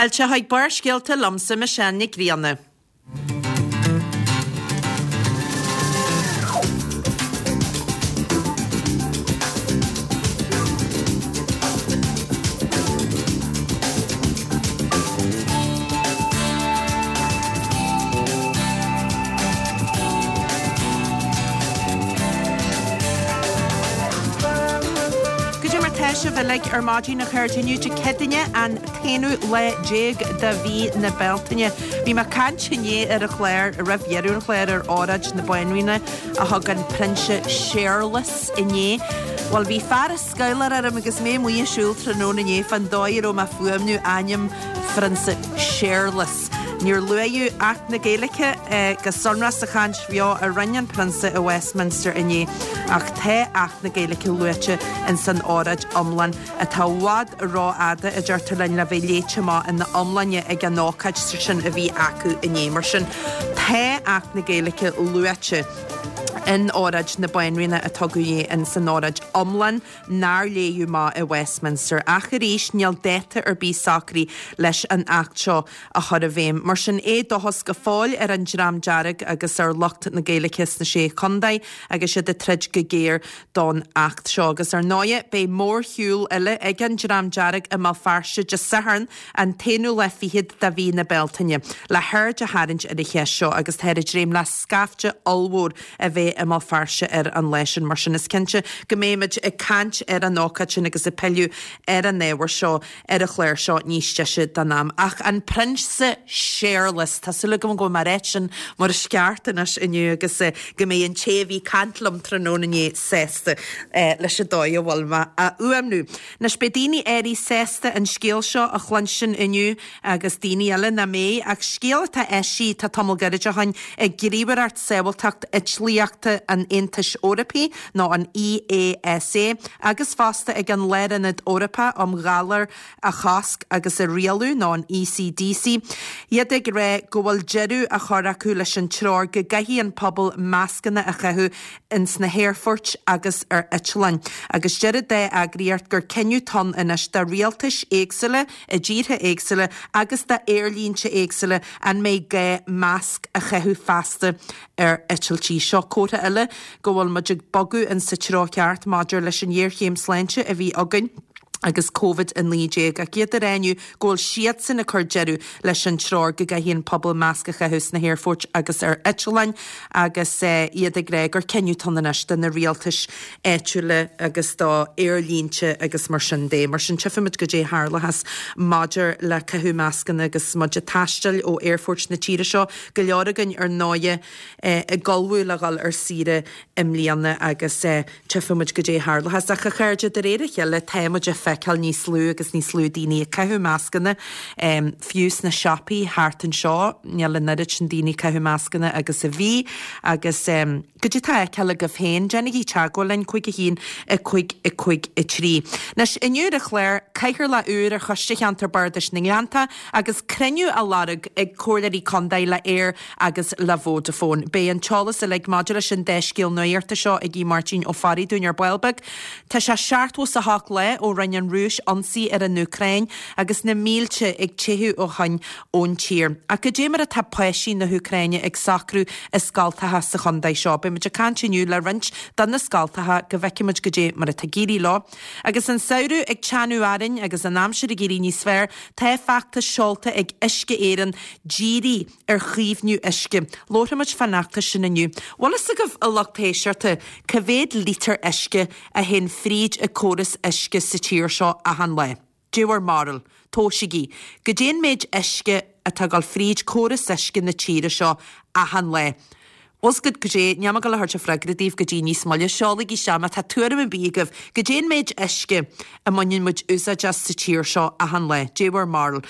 Fáilte chuig Barrscéalta liomsa, Michelle Nic Grianna. Goidé mar tá sibh uilig ar maidin a chairde inniu Dé Céadaoine an t-aonú lá déag de mhí na Bealtaine. Bhí mé ag caint inné ar an chlár, roimh dheireadh an chláir ar óráid na Banríona a thug an Prionsa Séarlas inné. Bhuel bhí fear ag scabhláir orm agus mé amuigh ag siúl tráthnóna inné fán dóigh a raibh mé ag fuaimniú ainm Phrionsa Séarlas. Níor luaíodh Acht na Gaeilge go sonrach sa chaint bheo a rinne an Prionsa i Westminster inné ach tá Acht na Gaeilge luaite ins an óráid iomlán atá i bhfad rófhada, a deirtear linn, le bheith léite amach ina iomláine ag an ócáid sin a bhí acu inné. Mar sin, tá Acht na Gaeilge luaite in óráid na Banríona a tugadh inné ins an óráid iomlán. nár léadh amach i Westminster. Ach arís, níl dáta ar bith socraithe leis an Acht seo a chur i bhfeidhm. Mar sin, éadóchas go fóill ar an Dream Dearg agus ar lucht na Gaeilge sna Sé Chontae agus iad ag troid go géar don Acht seo. Agus ar ndóigh, beidh mórshiúl eile ag an Dream Dearg i mBéal Feirste Dé Sathairn, an t-aonú lá fichead de mhí na Bealtaine, le haird a tharraingt ar an cheist seo agus táthar ag dréim le scaifte ollmhór a bheith i mBéal Feirste ar an lá sin. Mar sin, is cinnte go mbeimid ag caint ar an ócáid sin agus ag pilleadh ar an ábhar seo ar an chlár seo níos deise den am. Ach an Prionsa Séarlas, tá súil agam go bhfuil mé ag ráit sin mar is ceart anois inniu agus go mbeidh an té a bhí ag caint liom tráthnóna inné sásta leis an dóigh a bhfuil mé á fhuaimniú. Anois beidh daoine áirithe sásta an scéal seo a chluinstin inniu agus daoine eile nach mbeidh, ach scéal atá eisithe tá tamall gairid ó shin ag Gníomhaireacht Sábháilteacht Eitlíochta an Aontais Eorpaigh, nó an EASA, agus fosta ag an Lárionad Eorpach um Ghalair a Chosc agus a Rialú, nó an ECDC, iad ag rá go bhfuil deireadh á chur acu leis an treoir go gcaithfidh an pobal mascanna a chaitheamh ins na haerfoirt agus ar eitleáin, agus deir an dá eagraíocht gur cinneadh atá ann anois do rialtais éagsúla i dtíortha éagsúla agus d'aerlínte éagsúla an mbeidh gá masc a chaitheamh feasta ar eitiltí. Seo comhartha eile go bhfuil muid ag bogadh in sa treo ceart maidir leis an ghéarchéim sláinte a bhí againn agus Covid-19 ach iad ag rá inniu go bhfuil siadsan ag cur deireadh leis an treoir go gcaithfidh an pobal masc a chaitheamh sna haerfoirt agus ar eitleáin agus iad ag rá gur cinneadh atá ann anois do na rialtais áitiúla agus do aerlínte agus mar sin de. Mar sin tchífimid goidé a tharlóchas maidir le caitheamh mascanna agus muid ag taisteal ó aerfoirt na tíre seo, go leor againn ar ndóighe ag ullmhú le dhul ar saoire i mbliana agus tchífimid goidé a tharlóchas. Ach a chairde, de réir a chéile tá muid ag feiceáil níos lú agus níos lú daoine ag caitheamh mascanna, fiú sna siopaí thart anseo níl an oiread sin daoine ag caitheamh mascanna agus a bhí agus goidé atá á fheiceáil agaibh féin, déanaigí teagmháil linn, 5 1 5 5 3. Anois, inniu ar an chlár, Cathaoirleach úr ar Choiste Cheantar Bardais na nGleanntach agus cruinniú á lorg ag Comhairleoirí Contae le Eir agus le Vodafone. Beidh an t-eolas uilig maidir leis an dá scéal nuachta seo ag Aodh Máirtín Ó Fearraigh dúinn ar ball beag. Tá sé 78 lá ó rinne an Rúis ionsaí ar an Úcráin agus na mílte ag teitheadh ó shoin ón tír. Ach goidé mar atá páistí na hÚcráine ag socrú i scoltacha sa chontae seo? Beidh muid ag caint inniu le roinnt de na scoltacha go bhfeicfidh muid goidé mar atá ag éirí leo. Agus an samhradh ag teannadh orainn agus an aimsir ag éirí níos fearr, tá feachtas seolta ag Uisce Éireann dírithe ar chaomhnú uisce. Labharfaidh muid fán fheachtas sin inniu. Bhfuil fhios agaibh, a lucht éisteachta, cá mhéad lítear uisce a théann fríd an córas uisce sa tír seo achan lá? Dé bhur mbarúil? Tomhaisigí. Goidé an méid uisce atá ag dul fríd córas uisce na tíre seo achan lá? Bhfuil fhios agat goidé, níl mé ag dul a thabhairt an freagra daoibh go dtí níos moille. Seolaigí isteach má tá tuairim ar bith agaibh. Goidé an méid uisce a mbaineann muid úsáid as sa tír seo achan lá? Dé bhur mbarúil?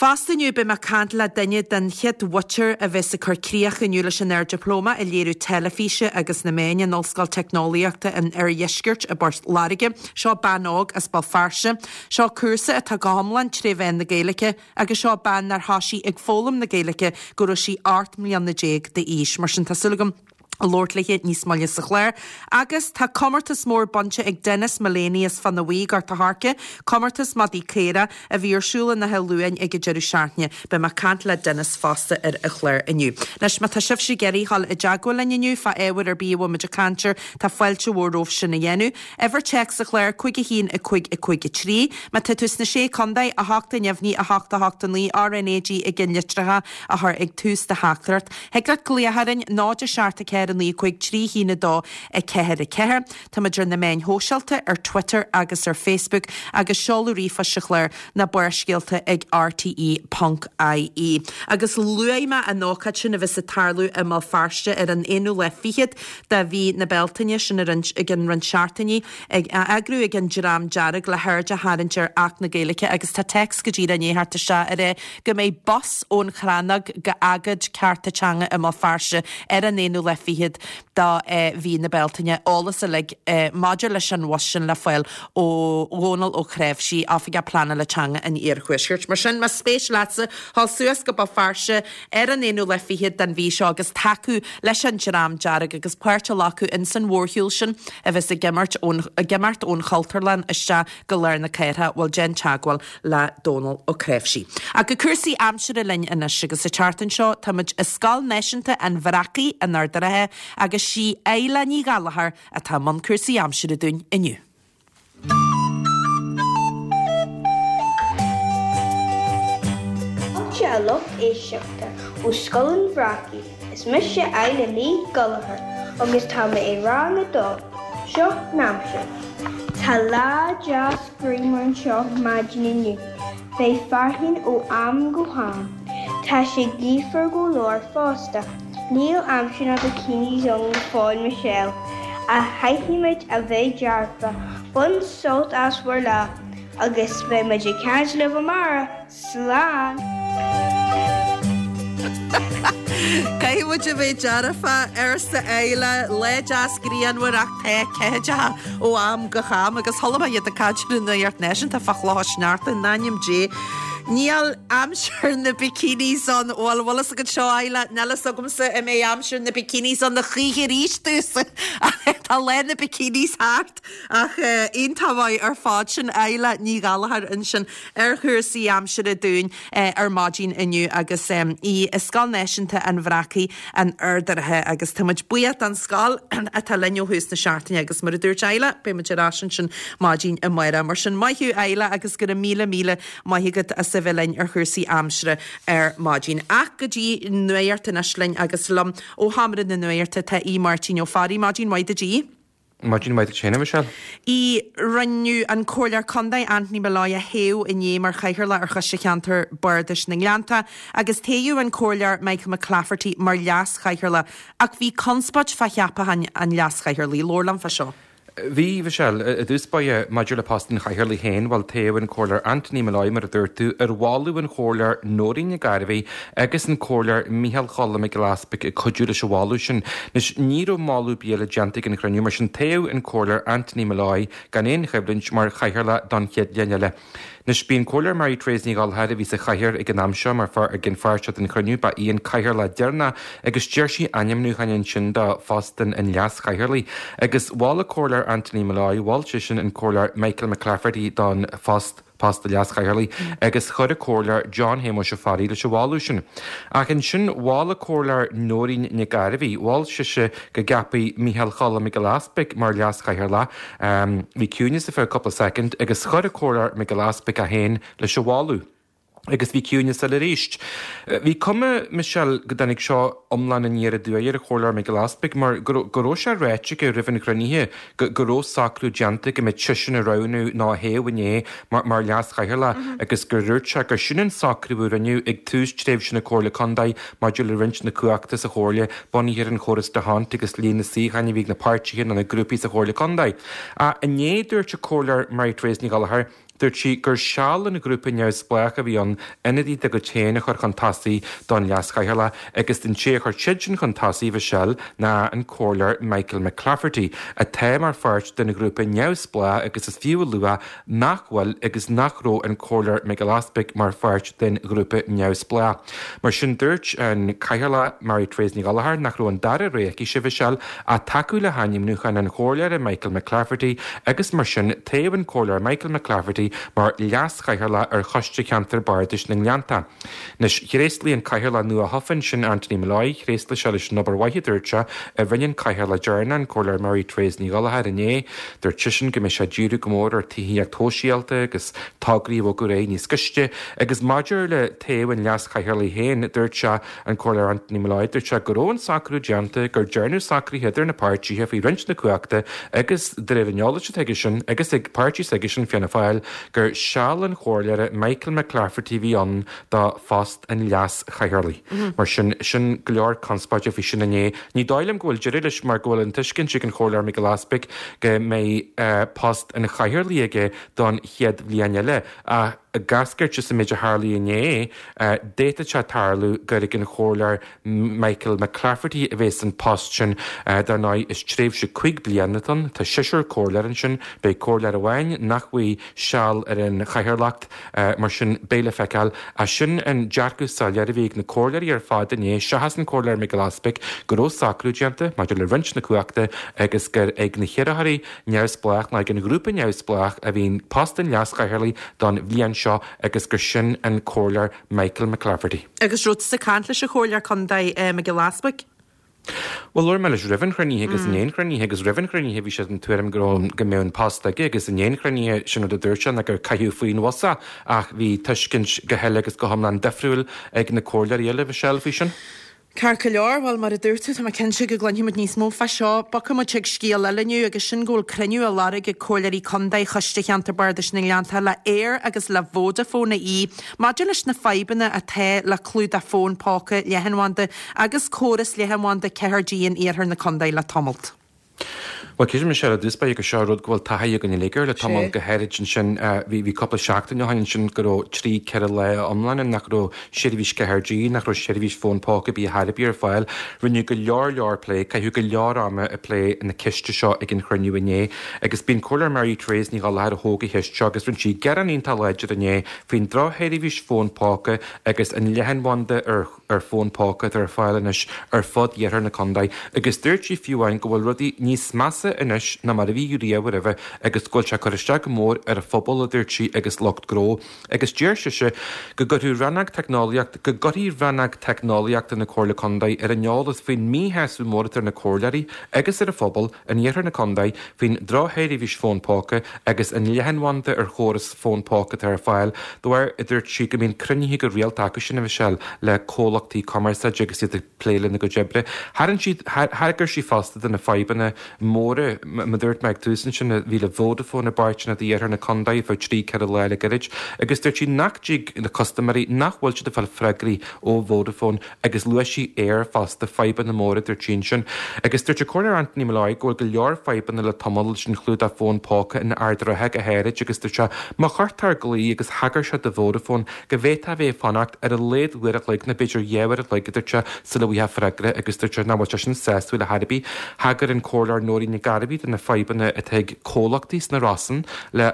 Fosta inniu beidh mé ag caint le duine den chéad mhuintir a bheas ag cur críoch inniu leis an Ard-Dioplóma i Léiriú Teilifíse agus na Meáin in Ollscoil Teicneolaíochta an Oirdheiscirt i bPort Láirge. Seo bean óg as Béal Feirste. Seo cúrsa atá go hiomlán tré mheán na Gaeilge agus seo bean nár thoisigh ag foghlaim na Gaeilge go raibh sí 18 mbliana d'aois. Mar sin tá súil agam. Labhairt léi níos moille sa chlár. Agus tá comórtas mór bainte ag Denis Mullaney as Fionnaidh Bhuí, Gort a' Choirce, comórtas madaí caora a bhí ar siúl in Áth Luain ag an deireadh seachtaine. Beidh mé ag caint le Denis fosta ar an chlár inniu. Anois, má tá sibhse ag iarraidh dhul i dteagmháil linn inniu fá ábhar ar bith a bhfuil muid ag caint air, tá fáilte mhór romhaibh sin a dhéanamh. Uimhir téacs an chláir, 5 1 5 5 3. Má tá tú sna Sé Contae, 8 neamhní 8 8 9 RNAG i gceannlitreacha a chur ag tús do theachtaireacht. Thig leat glaoch orainn, 0 7 4 9 5 3 1 2 4 4. Táimid ar na meáin shóisialta, ar Twitter agus ar Facebook, agus seoladh ríomhphoist an chláir ná Barrscéalta ag rte ponc ie. Agus luaigh mé an ócáid sin a bheas ag tarlú i mBéal Feirste ar an aonú lá fichead de mhí na Bealtaine, sin ar an i gcionn roinnt seachtainí, ag á eagrú ag an Dream Dearg le haird a tharraingt ar Acht na Gaeilge agus tá téacs go díreach i ndiaidh theacht isteach ag rá go mbeidh bus ón Chrannóg go agóid cearta teanga i mBéal Feirste ar an aonú lá fichead de mhí na Bealtaine. Eolas uilig maidir leis an bhus sin le fáil ó Dhónal Ó Cnáimhsí, Oifigeach Pleanála Teanga an Iarthuaiscirt. Mar sin, más spéis leatsa dhul suas go Béal Feirste ar an aonú lá fichead den mhí seo agus tacú leis an Dream Dearg agus páirt a ghlacadh ins an mhórshiúl sin a bheas ag imirt ón ag imeacht ón Chultúrlann isteach go lár na cathrach, bhuel déan teagmháil le Dónal Ó Cnáimhsí. Ach go cúrsaí aimsire linn anois agus an tseachtain seo táimid i Scoil Náisiúnta an Bhreacaigh in Ard an Rátha agus sí Isla Ní Ghallchóir atá i mbun cúrsaí aimsire dúinn inniu. Fáilte a lucht éisteachta ó Scoil an Bhreacaigh, is mise Isla Ní Ghallchóir agus tá mé i rang a dó. Seo an aimsir. Tá lá deas grianmhar anseo maidin inniu. Beidh fearthainn ó am go ham. Tá sé gaofar go leor fosta. Níl aimsir na bikinis ann go fóill Michelle. Ach caithfidh muid a bheith dearfa. Bain sult as bhur lá agus beidh muid ag caint libh amárach. Slán! Caithfidh muid a bheith dearfa, arsa Isla. Lá deas grianmhar ach tá ceathaideacha ó am go ham agus chuala mé iad ag caint ar an Nuacht Náisiúnta fá chlocha sneachta in ainm Dé. Níl aimsir na bikinis ann. Bhuel, bhfuil fhios agat seo, Isla, níl fhios agamsa an mbeidh aimsir na bikinis ann a choíche arís domhsa. Tá lá na bikinis thart. Ach iontach maith ar fad sin Isla Ní Ghallchóir ansin ar chúrsaí aimsire dúinn ar maidin inniu agus í i Scoil Náisiúnta an Bhreacaigh in Ard an Rátha agus tá muid buíoch don scoil atá linn ó thús na seachtaine agus mar a dúirt Isla beidh muid ar ais ansin maidin amárach. Mar sin maith thú Isla agus go raibh míle míle maith agat as a bheith linn ar chúrsaí aimsire ar maidin. Ach go dtí nuacht anois linn agus liom ó Sheomra na Nuachta tá Aodh Máirtín Ó Fearraigh. Maidin mhaith duit a Aoidh. Maidin mhaith duit féin, a Mhichelle. ii, Rinneadh an Comhairleoir Contae Anthony Molloy a thoghadh inné mar Chathaoirleach ar Choiste Cheantar Bardais na nGleannta agus toghadh an Comhairleoir Michael McClafferty mar Leas-Chathaoirleach ach bhí conspóid fá cheapachán an Leas-Chathaoirligh. Labhair liom fá seo. Bhí, Mhichelle. I dtús báire, maidir le post an Chathaoirligh féin, bhuel, toghadh an Comhairleoir Anthony Molloy, mar a dúirt tú, ar mholadh an Chomhairleoir Nóirín Nic Gairbheith agus an Comhairleoir Micheál Choilm Mac Giolla Easpaig ag cuidiú leis an mholadh sin. Anois, ní raibh moladh ar bith eile déanta ag an chruinniú, mar sin toghadh an Comhairleoir Anthony Molloy gan aon choimhlint mar Chathaoirleach don chéad bhliain eile. Anois, b'í an Comhairleoir Mary Therese Ní Ghallchóir a bhí sa chathaoir ag an am seo mar ag an pháirt seo den chruinniú, ba í an Cathaoirleach deireanach agus d'iarr sí ainmniúchán ansin do phost an Leas-Chathaoirligh. Agus mhol an Comhairleoir Anthony Molloy, mhol seisean an Comhairleoir Michael McClafferty don phost. post an Leas-Chathaoirligh agus chuir an Comhairleoir John Shéamuis Ó Fearraigh leis an mholadh sin. Ach ansin mhol an Comhairleoir Nóirín Nic Gairbheith, mhol sise go gceapfaí Micheál Choilm Mac Giolla Easpaig mar Leas-Chathaoirleach. Bhí ciúineas ar feadh cúpla soicind agus chuir an Comhairleoir Mac Giolla Easpaig é féin leis an mholadh. Agus bhí ciúineas eile arís. Bhí cuma, Michelle, go dtáinig seo iomlán aniar aduaidh ar an Chomhairleoir Mac Giolla Easpaig mar go raibh sé ráite aige roimh an chruinnithe go go raibh socrú déanta go mbeadh seisean á roghnú nó á thoghadh inné mar mar Leas-Chathaoirleach agus gur dhúirt sé gur sin an socrú a rinneadh ag tús tréimhse na Comhairle Contae maidir le roinnt na cumhachta sa Chomhairle bunaithe ar an chóras d'Hondt agus líon na suíocháin a bhí ag na páirtithe nó na grúpaí sa Chomhairle Contae. Ach inné dúirt an Comhairleoir Mary Therese Ní Ghallchóir. Dúirt sí gur seal an ghrúpa neamhspleách a bhí ann ionadaí dá gcuid féin a chur chun tosaigh don leaschathaoirleach agus an té a chuir siadsan chun tosaigh, Mhichelle, ná an Comhairleoir Michael McClafferty, atá mar pháirt den ghrúpa neamhspleách agus is fiú a lua nach bhfuil agus nach raibh an Comhairleoir Mac Giolla Easbuig mar pháirt den ghrúpa neamhspleách. Mar sin dúirt an Cathaoirleach Mary Therese Ní Ghallchóir nach raibh an dara rogha aici, Mhichelle, ach tacú le hainmniúchán an Chomhairleora Michael McClafferty agus mar sin toghadh an Comhairleoir Michael McClafferty mar Leas-Chathaoirleach ar Choiste Cheantar Bardais na nGleannta. Anois, thréaslaigh an Cathaoirleach nua-thofa ansin, Anthony Molloy, thréaslaigh sé leis an obair mhaith a dúirt sé, a rinne an Cathaoirleach deireanach, an Comhairleoir Mary Therese Ní Ghallchóir inné. Dúirt seisean go mbeidh sé ag díriú go mór ar tithíocht shóisialta agus tograí a bhogadh ar aghaidh níos gaiste. Agus maidir le toghadh an Leas-Chathaoirligh féin, dúirt sé, an Comhairleoir Anthony Molloy, dúirt sé go raibh an socrú déanta, gur dearnadh socruithe idir na páirtithe faoi roinnt na cumhachta agus, de réir an eolais atá aigesean agus ag páirtí s'aigesean, Fianna Fáil, gur seal an Chomhairleora Michael McClafferty a bhí ann do phost an Leas-Chathaoirligh. Mar sin, sin go leor conspóide faoi sin inné. Ní dóigh liom go bhfuil deireadh leis mar go bhfuil an tuiscint ag an Chomhairleoir Mac Giolla Easbuig go mbeidh post an Chathaoirligh aige don chéad bhliain eile ach ag eascairt as an méid a tharlaigh inné, d'fhéadfadh sé tarlú gur ag an Chomhairleoir Michael McClafferty a bheas an post sin. Dar ndóigh, is tréimhse cuig bliana atá ann. Tá seisear comhairleoir ansin. Beidh comhairleoir amháin nach bhfaighidh seal ar an chathaoirleacht. Mar sin, beidh le feiceáil. Ach sin an dearcadh soiléir a bhí ag na comhairleoirí ar fad inné, seachas an Comhairleoir Mac Giolla Easbuig, go raibh socrú déanta maidir le roinnt na cumhachta agus gur ag na hiarrthóirí neamhspleách ná ag an ghrúpa neamhspleách a bhí post an leaschathaoirligh don bhliain seo agus gur sin an Comhairleoir Michael McClafferty. Agus raibh tusa ag caint leis an Chomhairleoir Contae Mac Giolla Easbuig? Bhuel, labhair mé leis roimh an chruinnithe agus i ndiaidh an chruinnithe agus roimh an chruinnithe bhí sé den tuairim go raibh, go mbeadh an post aige agus i ndiaidh an chruinnithe sin rud a dúirt sé ná gur caitheadh faoin bhus é ach bhí tuiscint go huile agus go hiomlán difriúil ag na comhairleoirí eile, Michelle, faoi sin. Ceart go leor, bhuel, mar a dúirt tú, tá mé cinnte go gcluinfidh muid níos mó fá seo. Bogfaidh muid chuig scéal eile inniu agus sin go bhfuil cruinniú á lorg ag Comhairleoirí Contae Choiste Cheantar Bardais na nGleannta le Eir agus le Vodafone AE maidir leis na fadhbanna atá le clúdach fón póca leathanbhanda agus córas leathanbhanda 4G in iarthar na contae le tamalt. Bhuel, creidim Michelle, i dtús báire gur seo rud go bhfuil taithí againn uilig air le tamall, go háirid ansin, bhí, bhí cúpla seachtain ó shin ansin go raibh trí, ceithre lá iomlána nach raibh seirbhís 4G, nach raibh seirbhís fón póca ar bith ar chor ar bith ar fáil. Rinneadh go leor leor plé, caitheadh go leor ama ag plé na ceiste seo ag an chruinniú inné agus b'í an Comhairleoir Mary Therese Ní Ghallchóir a thóg an cheist seo agus rinne sí gearán iontach láidir inné faoin drochsheirbhís fón póca agus an leathanbhanda ar ar fón póca atá ar fáil anois ar fud iarthar na contae agus dúirt sí fiú amháin go bhfuil rudaí níos measa anois ná mar a bhí riamh roimhe agus go bhfuil sé ag cur isteach go mór ar an phobal, a dúirt sí, agus lucht gnó. Agus deir sise go gcuirfeadh Rannóg Teicneolaíocht go gcuirfidh Rannóg Teicneolaíochta na Comhairle Contae ar an eolas faoin míshásamh mór atá ar na comhairleoirí agus ar an phobal in iarthar na contae faoin drochsheirbhís fón póca agus an leathanbhanda ar chóras fón póca atá ar fáil de bharr, a dúirt sí, go mbíonn cruinnithe go rialta acu sin, a Mhichelle, le comhlachtaí cumarsáide agus iad ag plé lena gcuid oibre. Tharraing sí, thagair sí fosta do na fadhbanna móra, mar a dúirt mé ag tús ansin, a bhí le Vodafone i bpáirteanna d'iarthar na contae ar feadh trí, ceithre lá le gairid agus dúirt sí nach dtig le custaiméirí, nach bhfuil siad ag fáil freagraí ó Vodafone Agus luaigh sí Eir fosta, fadhbanna móra, a dúirt sí ansin. Agus dúirt an Comhairleoir Anthony Molloy go bhfuil go leor fadhbanna le tamall leis an chlúdach fón póca in Ard an Rátha go háirid agus dúirt sé má chuirtear glao agus thagair sé do Vodafone go bhféadfá a bheith ag fanacht ar a laghad uair a chloig nó b'fhéidir dhá uair a chloig a dúirt sé sula bhfaighfeá freagra agus dúirt sé nach bhfuil sé sin sásúil ar chor ar bith. Thagair an Comhairleoir Nóirín Nic Gairbhí do na fadhbanna atá ag comhlachtaí sna Rosann le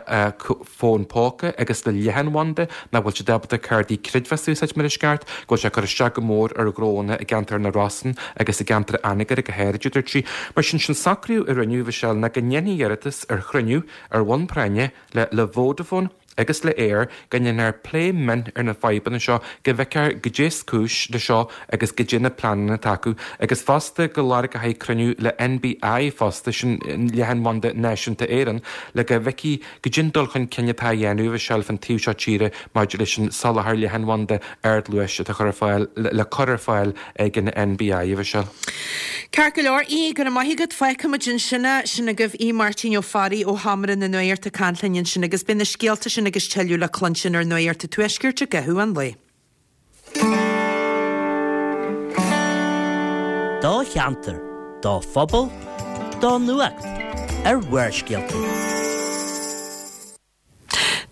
fón póca agus le leathanbhanda, nach bhfuil siad ábalta cártaí creidmheasa a úsáid mar is ceart, go bhfuil sé ag cur isteach go mór ar ghnóanna i gceantar na Rosann agus i gceantar Anagaire go háirid, a dúirt sí. Mar sin, sin socrú a rinneadh, a Mhichelle, ná go ndéanfaí iarratas ar chruinniú ar bhonn práinne le le Vodafone agus le Eir, go ndéanfar plé mion ar na fadhbanna seo, go bhfeicfear goidé is cúis le seo agus goidé na pleananna atá acu, agus fosta go lorgófaí cruinniú le NBI fosta, sin Leathanbhanda Náisiúnta Éireann, le go bhfeicfí Goidé an dul chun cinn atá á dhéanamh, a Mhichelle, fán taobh seo tíre maidir leis an soláthar leathanbhanda ardluais atá chur ar fáil, le cur ar fáil ag an NBI, a Mhichelle. Ceart go leor, Aodh, go raibh maith agat. Fágfaidh muid ansin é. Sin agaibh Aodh Máirtín Ó Fearraigh ó Sheomra na Nuachta ag caint linn ansin agus beidh na scéalta sin agus tuilleadh le cluinstin ar Nuacht an Tuaiscirt i gcaitheamh an lae. Do cheantar, do phobal, do nuacht ar Bharrscéalta.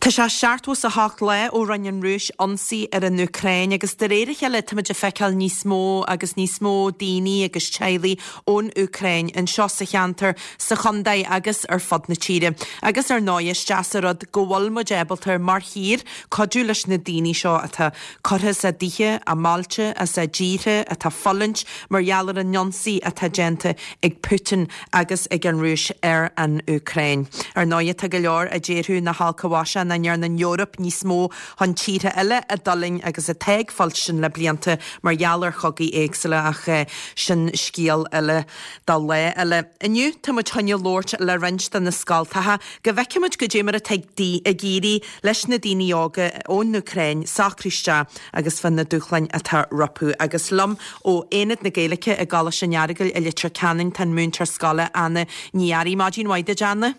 Tá sé 78 lá ó rinne an Rúis ionsaí ar an Úcráin agus de réir a chéile táimid ag feiceáil níos mó agus níos mó daoine agus teaghlaigh ón Úcráin anseo sa cheantar, sa chontae agus ar fud na tíre. Agus ar ndóigh is deas an rud go bhfuil muid ábalta mar thír cuidiú leis na daoine seo atá curtha as a dtithe, a mbailte, as a dtíortha, atá ag fulaingt mar gheall ar an ionsaí atá déanta ag Putin agus ag an Rúis ar an Úcráin. Ar ndóigh, tá go leor a déarfadh nach olc a mhaise nach ndearna an Eoraip níos mó chun tíortha eile a d'fhulaing agus atá ag fuilstin le blianta mar gheall ar chogaí éagsúla ach sin scéal eile do lá eile. Inniu tá muid chun labhairt le roinnt de na scoltacha go bhfeicfidh muid goidé mar atá ag éirí leis na daoine óga ón Úcráin socrú isteach agus fá na dúshláin atá rompu. Agus liom ó Aonad na Gaeilge i gColáiste an Earagail i Leitir Ceanainn tá an múinteoir scoile Anna Ní Fhearraigh. Maidin mhaith duit Anna.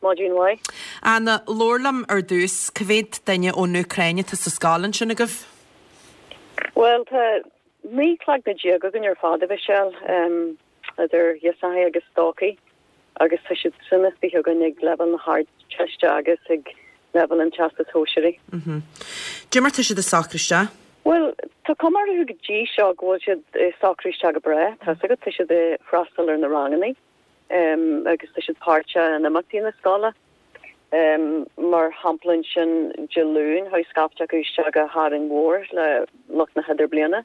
Maidin mhaith. Anna, labhair liom ar dtús, cá mhéad duine ón Úcráin atá sa scoil ansin agaibh? Bhuel, tá 19 cloigne againn ar fad, a Mhichelle, idir ghirseachaí agus stócaigh, agus tá siad sin istigh againn ag leibhéal na hArdteiste agus ag leibhéal an Teastais Shóisearaigh. Cad é mar tá siad ag socrú isteach? Bhuel, tá cuma orthu go dtí seo go bhfuil siad ag socrú isteach go breá. Tá's agat, tá siad ag freastal ar na ranganna agus tá siad páirteach in imeachtaí na scoile. Mar shampla ansin Dé Luain chuaigh scaifte acu isteach go hÁrainn Mhór le lucht na hIdirbliana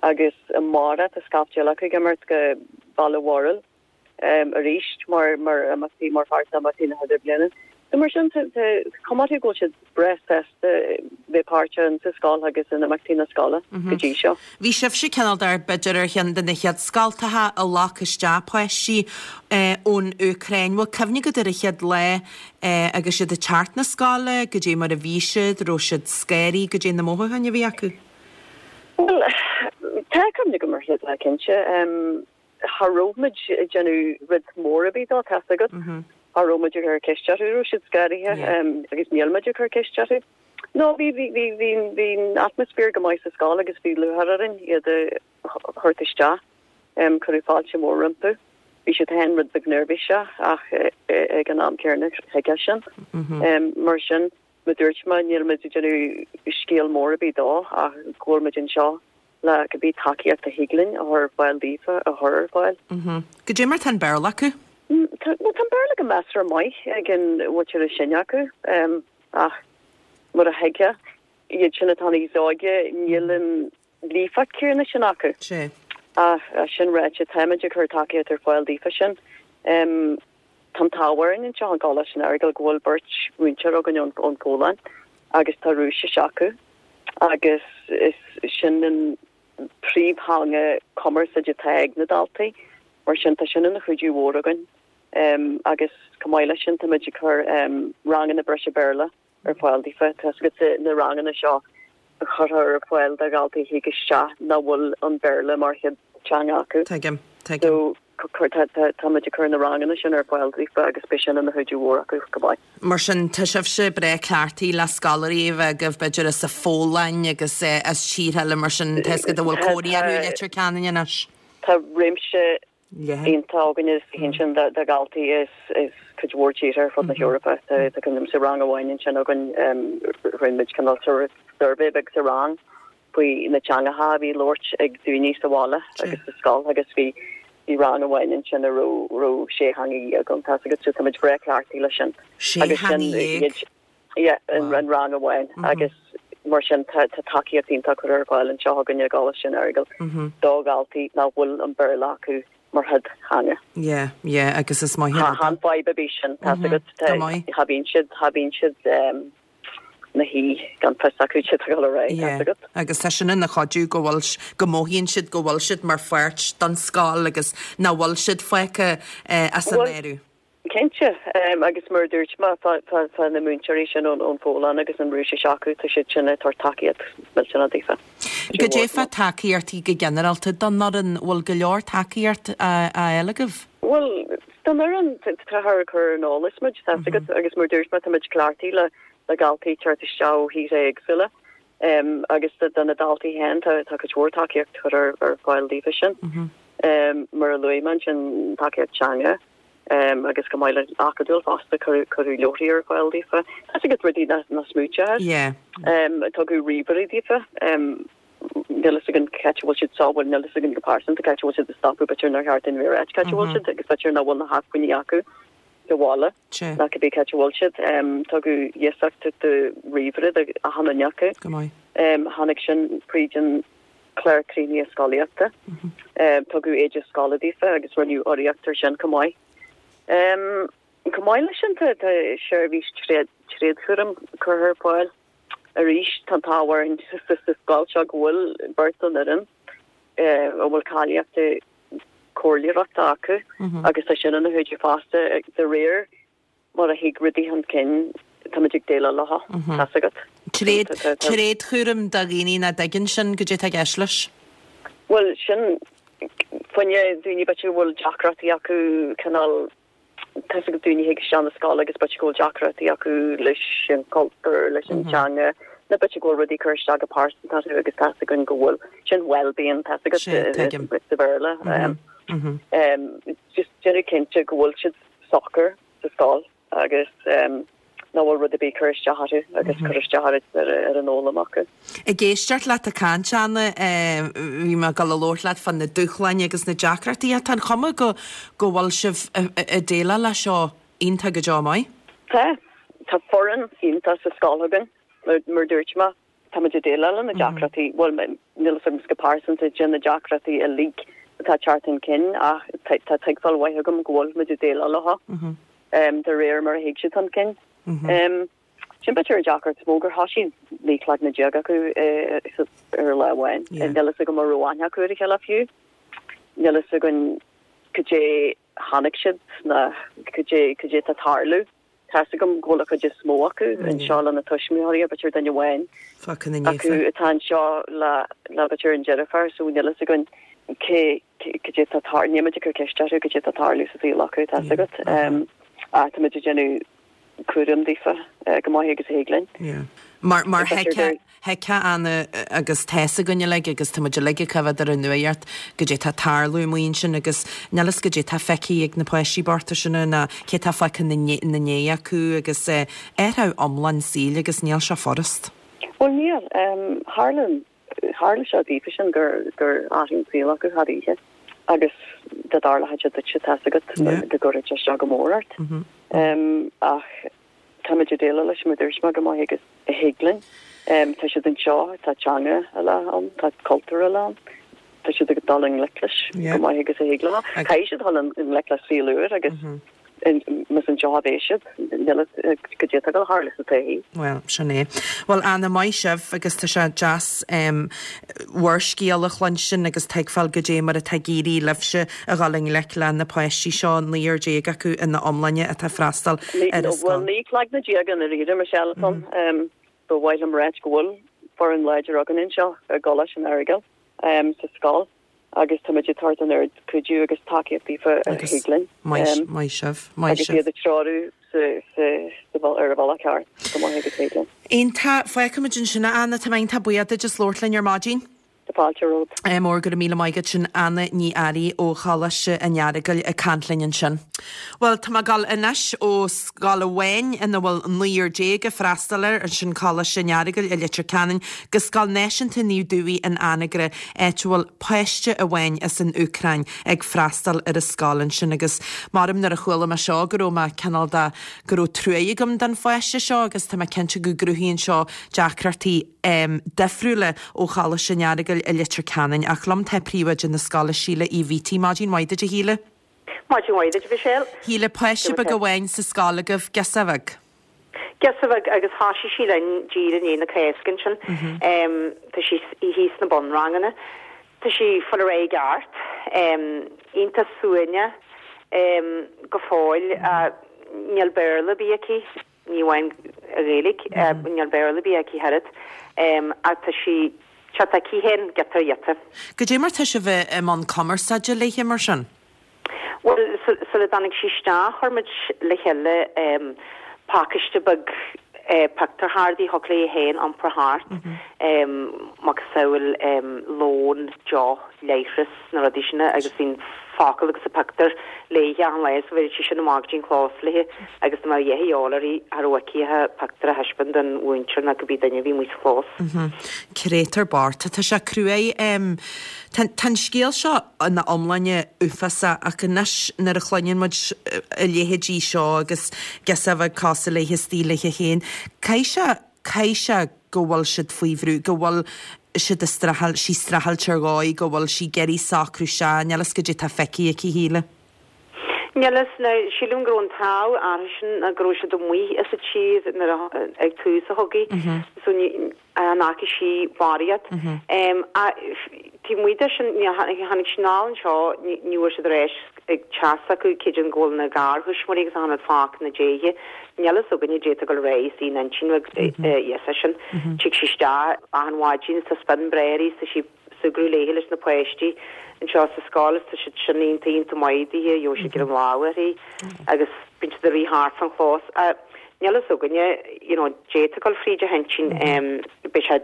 agus amárach tá scaifte eile acu ag imeacht go Baile Mhúirl arís mar mar imeachtaí mar pháirt d'imeachtaí na hIdirbliana. So mar sin tá cuma orthu go bhfuil siad breá sásta bheith páirteach in sa scoil agus in imeachtaí na scoile go dtí seo. Bhí sibhse cineál de b'fhéidir ar cheann de na chéad scoltacha a ghlac isteach páistí ón Úcráin. Bhfuil cuimhne agat ar an chéad lá agus iad ag teacht na scoile, goidé mar a bhí siad, raibh siad scanraithe, goidé na mothúcháin a bhí acu? Bhuel, tá cuimhne agam ar an chéad lá cinnte. Cha raibh muid ag déanamh rud mór ar bith dó, tá's agat. Cha raibh muid ag cur ceist orthu, raibh siad scanraithe agus níl muid ag cur ceist orthu. No, bhí, bhí, bhí, bhí, bhí an atmaisféar go maith sa scoil agus bhí lúcháir orainn iad a thabhairt isteach. Cuireadh fáilte mhór rompu. Bhí siad féin rud beag neirbhíseach ach ag an am céanna thuigfeá sin. Mar sin, mar a dúirt mé, níl muid ag déanamh scéal mór ar bith dó ach go bhfuil muid anseo le cibé tacaíocht a thig linn a chur ar fáil daofa a chur ar fáil. Goidé mar tá an Béarla acu? Tá, bhuel tá an Béarla go measartha maith ag an mhuintir is sine acu ach mar a thuigfeá, iad sin atá níos óige níl an líofacht céanna sin acu. Sea. Ach sin ráite, táimid ag cur tacaíocht ar fáil daofa sin. Tá an t-ádh orainn anseo i gColáiste an Earagail go bhfuil beirt mhúinteoir againn ón Phólainn agus tá Rúisis acu agus is sin an príomhtheanga cumarsáide atá ag na daltaí, mar sin tá sin ina chuidiú mhór againn agus chomh maith leis sin táimid ag cur ranganna breise Béarla ar fáil daofa. Tá's agat na ranganna seo a chuirtear ar fáil do dhaltaí a thig isteach nach bhfuil an Béarla mar chéad teanga acu. Tuigim, tuigim. So tá muid ag cur na ranganna sin ar fáil daofa agus beidh sin ina chuidiú mhór acu go maith. Mar sin, tá sibhse breá cleachtaithe le scoláirí a bheith agaibh b'fhéidir as an Phólainn agus as tíortha eile mar sin, tá's agat a bhfuil cónaí orthu i Leitir Ceanainn anois. Tá réimse iontach againne ansin de dhaltaí as cuid mhór tíortha ar fud na hEorpa. Tá cuimhin liom sa rang amháin ansin againn, rinne muid cineál suirbhé beag sa rang faoi na teangacha a bhí á labhairt ag daoine sa bhaile agus sa scoil agus bhí bhí rang amháin ansin a raibh raibh sé theanga dhéag ann, tá's agat, so tá muid breá cleachtaithe leis sin. Sé theanga dhéag? Yeah, in rang amháin agus mar sin tá tacaíocht iontach curtha ar fáil anseo againne i gColáiste an Earagail do dhaltaí nach bhfuil an Béarla acu mar chéad theanga. Yeah, yeah, agus is maith an rud é. Chan fadhb ar bith sin, tá's agat, cha bhíonn siad, cha bhíonn siad ina shuí gan fios acu cad atá ag dul ar aghaidh, tá's agat. Agus tá sin ina chuidiú go bhfuil, go mothaíonn siad go bhfuil siad mar pháirt den scoil agus nach bhfuil siad fágtha as an áireamh. Cinnte, agus mar a dúirt mé, tá na múinteoirí sin ón Phólainn agus an Rúisis acu, tá siad sin ag tabhairt tacaíocht millteanach daofa. Goidé fá tacaíochtaí go ginearálta don fhoireann, bhfuil go leor tacaíocht á fháil agaibh? Bhuel, don fhoireann, táthar ag cur ar an eolas muid, tá's agat, agus mar a dúirt mé, tá muid cleachtaithe le daltaí ag teacht isteach ó thíortha éagsúla agus do na daltaí féin, tá cuid mhór tacaíocht curtha ar fáil daofa sin. Mar a luaigh mé ansin, tacaíocht teanga. Agus chomh maith le acadúil fosta, cuireadh leabharthaí ar fáil daofa. Tá's agat rudaí nach smaointeofá air. Tugadh ríomhairí daofa. Níl fhios againn cá háit a bhfuil siad sá, bhuel níl fhios againn go pearsanta cá háit a bhfuil siad ag stopadh, b'fhéidir nár cheart dúinn a bheith ag ráit cá háit a bhfuil siad agus b'fhéidir nach bhfuil na hacmhainní acu sa bhaile ná cibé cá háit a bhfuil siad. Tugadh iasacht de ríomhaire do achan duine acu. Tháinig sin fríd an clár críochnaithe scolaíochta. Tugadh éide scoile daofa agus rinneadh urraíocht ar sin chomh maith. Chomh maith leis sin tá seirbhís tréadchúraim curtha ar fáil arís. Tá an t-ádh orainn sa scoil seo go bhfuil beirt den fhoireann a bhfuil cáilíocht comhairleoireachta acu agus tá sin ina chuidiú fosta de réir mar a thig rudaí chun cinn, táimid ag déileáil leo, tá's agat. Tréad, tréadchúram do dhaoine nach dtuigeann sin, goidé tá i gceist leis? Bhuel, sin, fá choinne daoine b'fhéidir go bhfuil deacrachtaí acu cineál, tá's agat daoine a thig isteach na scoile agus b'fhéidir go bhfuil deacrachtaí acu leis an cultúr, leis an teanga, nó b'fhéidir go bhfuil rudaí ag cur isteach go pearsanta orthu agus tá's againn go bhfuil, sin well-being, tá's agat, sa Bhéarla. Just déanamh cinnte go bhfuil siad socair sa scoil agus nach bhfuil rud ar bith ag cur isteach orthu agus cur isteach ar an fhoghlaim acu. Ag éisteacht leat ag caint, Anna, bhí mé ag dul a labhairt leat fá na dúshláin agus na deacrachtaí ach tá an chuma go go bhfuil sibh ag déileáil leis seo iontach go deo maith. Tá. Tá foireann iontach sa scoil againn, mar a dúirt mé. Táimid ag déileáil le na deacrachtaí, bhuel, níl fhios agam go pearsanta de na deacrachtaí uilig atá ag teacht chun cinn ach tá tuigbheáil mhaith agam go bhfuil muid ag déileáil leo de réir mar a thig siad chun cinn. Sin b'fhéidir an deacracht is mó gur thosaigh 19 cloigne acu ar lá amháin. Níl fhios agam an raibh aithne acu ar a chéile fiú. Níl fhios againn cad é tháinig siad ná cad é cad é atá ag tarlú. Tá's agam go bhfuil an chuid is mó acu anseo lena tuismitheoirí, b'fhéidir duine amháin acu atá anseo le le b'fhéidir an deirfiúr, so níl fhios againn cé cad é atá tar, níl muid ag cur ceist orthu cad é atá ag tarlú sa saol acu, tá's agat. Ach tá muid ag déanamh cúram daofa chomh maith agus a thig linn. Mar mar Thuigfeá, Anna, agus tá's againn uilig agus tá muid uilig ag coimhéad ar an nuacht goidé tá ag tarlú amuigh ansin agus níl fhios goidé tá feicthe ag na páistí bochta sin ná cé tá fágtha ina ndiaidh acu agus athrú iomlán saoil agus níl sé furast. Bhuel níl. Tharla, tharla seo daofa sin gur, gur athraigh an saol acu thar oíche agus dá dtarlódh sé duitse tá's agat go gcuirfeadh sé isteach go mór ort. Ach Táimid ag déileáil leis mar a dúirt mé chomh maith agus a thig linn. Tá siad anseo, tá teanga eile ann, tá cultúr eile ann. Tá siad ag dul i ngleic leis chomh maith agus a thig leo. Caithfidh siad dul i ngleic le saol úr agus más anseo a bheidh siad, níl fhios cad é atá ag dul a tharlú sa todhchaí. Bhuel, sin é. Bhuel, Anna, maith sibh agus tá sé deas bhur scéal a chluinstin agus tuigbheáil goidé mar atá ag éirí libhse a dhul i ngleic le na páistí seo, naonúr déag acu ina iomláine atá ag freastal ar an scoil. Bhuel, 19 cloigne i ndáiríre, Michelle, atá ann. Ba mhaith liom ráit go bhfuil foireann láidir againn anseo i gColáiste an Earagail sa scoil agus táimid ag tabhairt an oiread cuidiú agus tacaíocht daofa a thig linn. Maith, maith sibh, maith sibh. Agus iad a treorú ar an bhealach ceart chomh maith agus a thig linn. Iontach, fágfaimid ansin é, Anna, tá mé iontach buíoch duit as labhairt linn ar maidin. Tá fáilte romhat. Ádh mór, go raibh míle maith agat. Sin Anna Ní Fhearraigh ó Choláiste an Earagail ag caint linn ansin. Bhuel, tá mé ag dul anois ó scoil amháin ina bhfuil naonúr déag ag freastal air, sin Coláiste an Earagail i Leitir Ceanainn, go Scoil Náisiúnta Naomh Dubhthaigh in Anagaire, áit a bhfuil páiste amháin as an Úcráin ag freastal ar an scoil ansin. Agus maram nuair a chuala mé seo go raibh mé cineál de, go raibh truaigh agam don pháiste seo agus tá mé cinnte go gcruthaíonn seo deacrachtaí difriúla ó Choláiste an Earagail i Leitir Ceanainn. Ach liom tá príomhoide na scoile, Síle Uí Bhíti. Maidin mhaith duit, a Shíle. Maidin mhaith duit, a Mhichelle. Shíle, páiste beag amháin sa scoil agaibh, girseach bheag. Girseach bheag agus thosaigh sí linn díreach i ndiaidh na Cásca ansin. Tá sí thíos sna bunranganna. Tá sí ag fáil ar aghaidh i gceart. Iontach suaimhneach go fóill. Níl Béarla ar bith aici. Ní amháin Gaeilge, níl Béarla ar bith aici ach oiread, ach tá sí teacht aici féin, giota ar ghiota. Goidé mar tá sibh i mbun cumarsáide léithe mar sin? Bhuel, sula dtáinig sí isteach, chuir muid le chéile pacáiste beag pictiúr chártaí a thiocfadh léi féin iompar thart, macasamhail lón, deoch, leithreas, na rudaí sin agus bhí an. focal agus a pictiúr léithe achan lá so bheireadh sí sin amach go dtí an chlós léithe agus dá mbeadh a dhath a dhíobháil uirthi cha raibh aici ach a pictiúr a thaispeáint don mhúinteoir nó cibé duine a bhí amuigh sa chlós. Créatúr bocht. Tá sé cruaidh. Tá an scéal seo ina iomláine uafásach ach anois nuair a chluineann muid a leithéidí seo agus girseach bheag cosúil léithe istigh léithe féin, caithfidh sé, caithfidh sé go bhfuil siad faoi bhrú, go bhfuil siad ag streachailt, sí streachailt ar dhóigh, go bhfuil sí ag iarraidh socrú isteach, níl fhios goidé tá feicthe aici, a Shíle. Níl fhios, now, sílim go raibh an t-ádh orthusan ná go raibh siad amuigh as an tír nuair a, ag tús an chogaidh, so ní, an fhaca sí barraíocht. Ach taobh amuigh de sin, ní, tháinig sí anall anseo, ní, ní bhfuair siad ar ais ag teach s'acu, creidim go bhfuil na garthuismitheoirí agus achan rud fágtha ina déidh. Níl fhios againne goidé atá ag dul ar aghaidh istigh ina intinn a fhios sin. Tig sí isteach achan mhaidin is tá spion breá uirthi is tá sí ag súgradh léithe leis na páistí anseo sa scoil is tá siad sin iontach iontach maith daoithe, gheobhaidh siad ag cur an lámh uirthi agus bíonn siad ag rith thart fan chlós. Níl fhios againne you know goidé atá ag dul fríd a hintinn beidh sé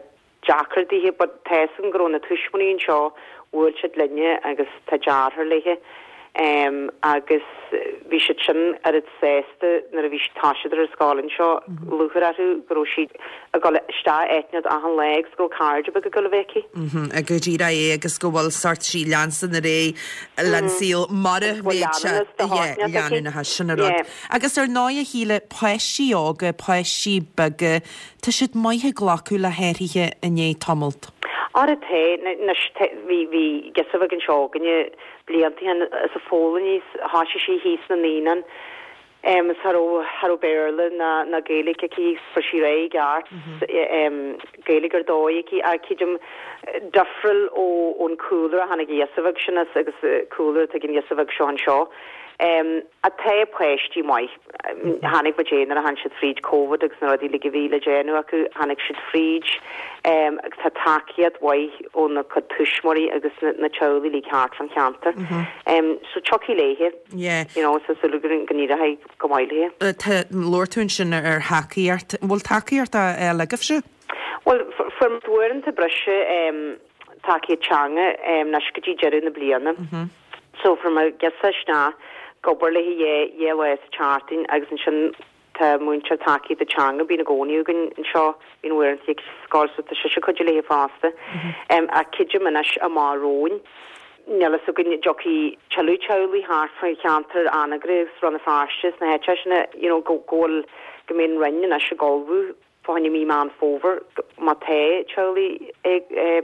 deacair daoithe but tá fhios agam go raibh na tuismitheoirí anseo, bhuail siad linne agus tá deartháir léithe em agus bhí siad sin oiread sásta nuair a bhí toiseacht ar an scoil anseo, lúcháir orthu go raibh sí ag dul isteach áit inteacht achan lá agus go raibh cairde beaga ag dul a bheith aici. Mhm, go díreach é agus go bhfuil sort sí leanstan ar aghaidh len saol mar a Agus go bhfuil bheadh sé, leanúnachas de yeah, shórt inteacht aici. leanúnachas, sin an rud. Yeah. Agus ar ndóigh a Shíle, páistí óga, páistí beaga, Tá siad maith ag glacadh le hathruithe i ndiaidh tamalt. Ara tá, anois tá, bhí, bhí girseach bheag anseo againne blianta ó shin is ag foghlaim í, thoisigh sí thíos sna naíonáin, em, is cha raibh, cha raibh Béarla ná, ná Gaeilge aici, fuair sí ar aghaidh i gceart, em, Gaeilge ar dóigh aici ach creidim difriúil ó, ón cúlra a tháinig an ghirseach bheag sin as agus cúlra atá ag an ghirseach bheag seo anseo. Em, ach tá páistí maith. Chonaic muid é nuair a tháinig siad fríd Covid agus na rudaí uilig a bhí le déanamh acu, tháinig siad fríd agus tá tacaíocht mhaith óna cuid tuismitheoirí agus na teaghlaigh uilig thart fán cheantar. So tiocfaidh léithe, you know, tá súil againn go n-éireoidh go maith léithe. Tá, labhair tú ansin ar thacaíocht. An bhfuil tacaíocht á fháil agaibhse? Bhuel, fuair muid uaireanta breise tacaíocht teanga anois go dtí deireadh na bliana. So fuair muid girseach isteach ag obair léi dhá lá sa tseachtain agus ansin tá múinteoir tacaíochta teanga bíonn i gcónaí againn anseo, bíonn uaireanta ag scoil so tá sise ag cuidiú léi fosta. Ach creidim anois amach romhainn, níl fhios againn an dtiocfaidh tuilleadh teaghlaigh thart faoin cheantar Anagaire agus Rann na Feirste is na háiteacha sin you know go bhfuil go mbeidh an Roinn anois ag ullmhú fá choinne mí Meán Fómhair, má tá teaghlaigh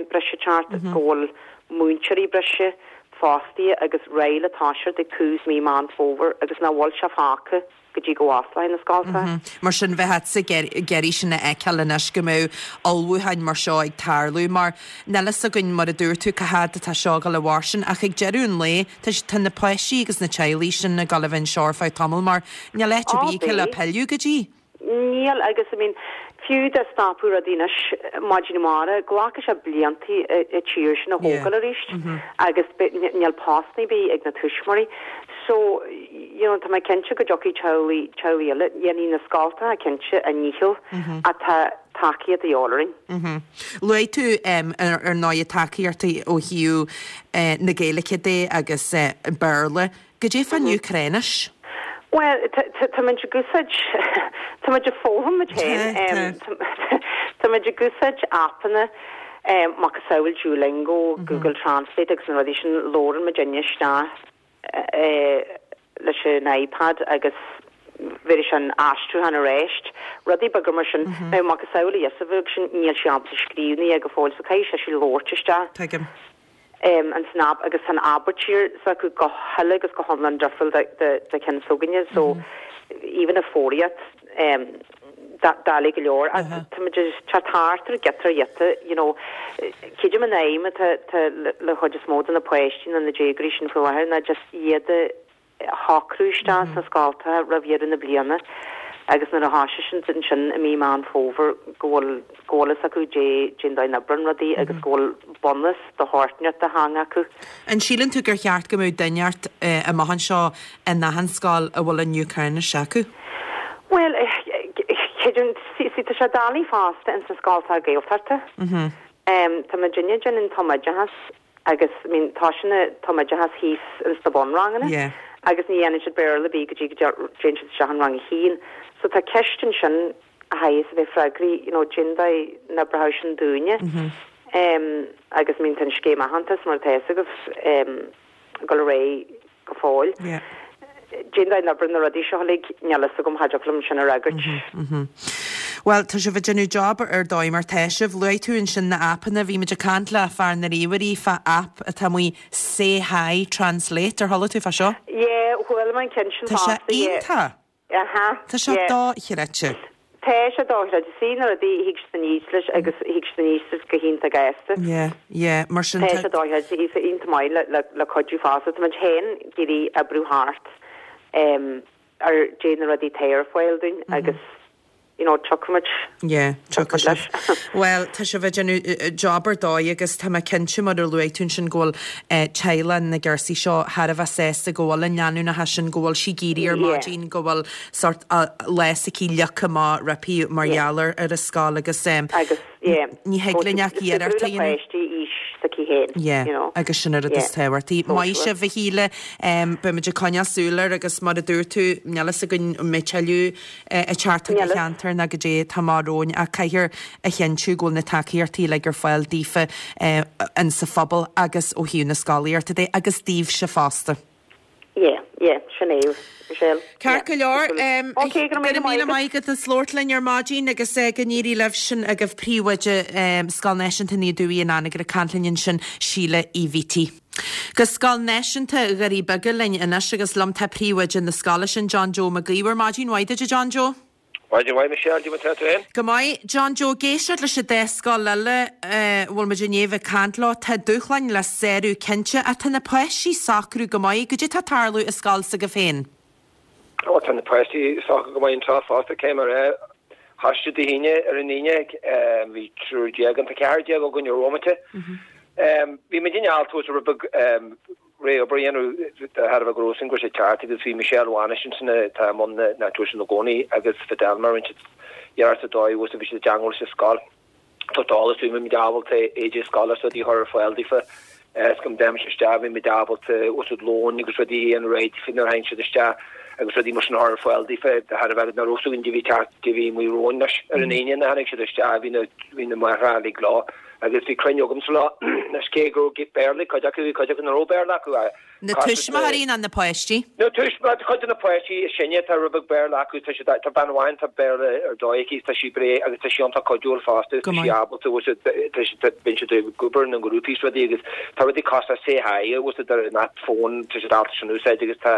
breise ag teacht, go bhfuil múinteoirí breise fostaithe agus réidh le toiseacht ag tús mí Meán Fómhair agus nach bhfuil sé fágtha go dtí go bhfosclóidh na scoltacha. Mar sin, bheifeá ag iarraidh sin a fheiceáil anois, go mbeadh ullmhúcháin mar seo ag tarlú, mar níl fhios againn, mar a dúirt tú, cá fhad atá seo ag dul a mhairstean, ach ag deireadh an lae, tá na páistí agus na teaghlaigh sin ag dul a bheith anseo ar feadh tamaill, mar níl áit ar bith acu le pilleadh go dtí. Níl, agus I mean, fiú dá stopadh rudaí anois maidin amárach, glacfaidh sé blianta an tír sin a thógáil arís agus níl postanna ar bith ag na tuismitheoirí. So, you know, tá mé cinnte go dtiocfaidh teaghlaigh, teaghlaigh eile, dhéanfaidh na scoltacha cinnte a ndícheall ach tá tacaíocht a dhíobháil orainn. Luaigh tú ar ndóigh tacaíochtaí ó thaobh na Gaeilge de agus Béarla. Goidé fán Úcráinis? Bhuel, tá muid ag úsáid, tá muid ag foghlaim muid féin. Tá muid ag úsáid aipeanna macasamhail Duolingo, Google Translate agus na rudaí sin, labhrann muidinne isteach leis an iPad agus bhéarfaidh sé an aistriúchán ar ais, rudaí beaga mar sin. Now, macasamhail an ghirseach bheag sin, níl sí ábalta scríobh ná go fóill so caithfidh sise labhairt isteach. Tuigim. ins an aip agus tá an abairtír s'acu go huile agus go hiomlán difriúil de cheann s'againne so even an foghraíocht doiligh go leor ach tá muid ag teacht thart ar giota ar ghiota you know creidim an aidhm atá le chuid is mó de na páistí nó na déagóirí sin faoi láthair ná just iad a shocrú isteach sna scoltacha roimh dheireadh na bliana agus nuair a thoisigh siad ansin i mí Meán Fómhair go bhfuil go bhfuil fhios acu cén dóigh a n-oibríonn rudaí agus go bhfuil bunús de shórt inteacht de theanga acu. An síleann tú gur cheart go mbeadh duine inteacht amach anseo in achan scoil a bhfuil an Úcráinis acu? Bhuel, creidim, see, tá sé doiligh fosta ins na scoltacha Gaeltachta. Tá muidinne ag déanamh an tumoideachas. Agus, I mean, tá sin, tá oideachas thíos ins na bunranganna Yeah. agus ní dhéanann siad Béarla ar bith go dtí go dtéann siad isteach in rang a haon. So tá ceist ansin a chaithfeas a bheith freagraithe, you know, cén dóigh n-oibreoidh sin dúinne. Em, agus, I mean, tá an scéim aitheantais mar atá fhios agaibh, em, ag dul ar aghaidh go fóill. Yeah. Cén dóigh n-oibreoidh na rudaí seo uilig, níl fhios agam, cha dtiocfadh liom sin a fhreagairt. Bhuel, tá sibh ag déanamh job ar dóigh mar tá sibh. Luaigh tú ansin na aipeanna, bhí muid ag caint le fear na ríomhairí fá aip atá amuigh Say Hi Translate, ar chuala tú fá seo? Yeah, chuala mé an ceann sin Tá sé fosta, yeah. iontach! Aha, Tá sé yeah. dochreidte. Tá sé dochreidte. Is na rudaí, thig siad aníos leis agus thig siad aníos leis go hiontach gasta. Yeah, yeah, mar sin Tá tá. sé dochreidte, tá sé iontach maith le, le, le cuidiú fosta. Tá muid féin ag iarraidh oibriú thart em, ar dé na rudaí atá ar fáil dúinn agus you know, tiocfaidh muid, Yeah, tiocfaidh tiocfaidh muid sibh. leis. Bhuel, tá sibh ag déanamh job ar dóigh agus tá mé cinnte mar a luaigh tú ansin go bhfuil teaghlaigh na gcúrsaí seo thar a bheith sásta go bhfuil an leanúnachas sin, go bhfuil sí ag éirí ar Yeah. maidin, go bhfuil sórt lá s'aici leagtha amach roimpi mar Yeah. gheall ar ar an scoil agus Agus, yeah, ní thig linn ach iarracht a le dhéanamh. páistí aois s'aici féin, Yeah, you know. agus sin an rud Yeah. is tábhachtaí. Maith sibh a Shíle, beimid ag coinneáil súil air agus mar a dúirt tú, níl fhios againn an mbeidh tuilleadh ag teacht chuig an cheantar ná goidé atá amach romhainn ach caithfear a chinntiú go bhfuil na tacaíochtaí uilig ar fáil daofa in sa phobal agus ó thaobh na scolaíochta de agus daoibhse fosta. Yeah, yeah, sin é, Michelle. Ceart go leor. Ok, go raibh míle maith agat as labhairt linn ar maidin agus go n-éirí libh sin agaibh príomhoide Scoil Náisiúnta Naomh Dubhaigh in Anagaire ag caint linn ansin, Síle Uí Bhítigh. Go Scoil Náisiúnta Dhoirí Beaga linn anois agus liom tá príomhoide na scoile sin, John Joe Mac Íomhair. Maidin mhaith duit a John Joe. Maidin mhaith Michelle, goidé mar tá tú féin? Go maith, John Joe, ag éisteacht leis an dá scoil eile a bhfuil muid i ndiaidh bheith ag caint leo, tá dúshláin le sárú cinnte ach tá na páistí ag socrú go maith. Goidé tá ag tarlú i scoil s'agaibh féin? Ó, tá na páistí ag socrú go maith anseo fosta, cé mar é. Thoisigh Dé hAoine ar an Aoine, bhí 13 ann, tá 14 againn ar bhomaite. Bhí muid in ann tús rud beag réidh obair a dhéanamh de thairbhe go raibh sin go raibh sé ceart agus bhí Michelle Mhanais ansin atá i mbun na tuairisce ina gcónaí agus Fidelma rinne siad iarracht ar dóigh agus bhí siad i dteangmháil leis an scoil. Tá eolas bhí muid ábalta éide scoile is rudaí a chur ar fáil daofa is go ndéanfadh siad isteach bhí muid ábalta úsáid lóin agus rudaí a dhéanamh réidh daofa nuair a tháinig siad isteach agus rudaí mar sin a chur ar fáil daofa de thairbhe nach raibh fhios againn goidé bhí teacht goidé bhí amuigh romhainn anois ar an Aoine nuair a tháinig siad isteach bhí na bhí na máithreacha uilig leo. Agus bhí cruinniú agamsa leo anois cé go raibh Béarla ag cuid acu, bhí cuid acu nach raibh Béarla acu. Na tuismitheoirí ná na páistí? Na tuismitheoirí, cuid de na páistí is sine, tá rud beag Béarla acu, tá siad, tá bean amháin, tá Béarla ar dóigh aici, tá sí breá agus tá sí iontach cuidiúil fosta, tá sí ábalta, bhfuil siad, tá siad, tá, bíonn siad ag obair ina ngrúpaí is rudaí agus tá rudaí cosúil le Say Hi, bhfuil siad ar an app fón, tá siad ábalta sin a úsáid agus tá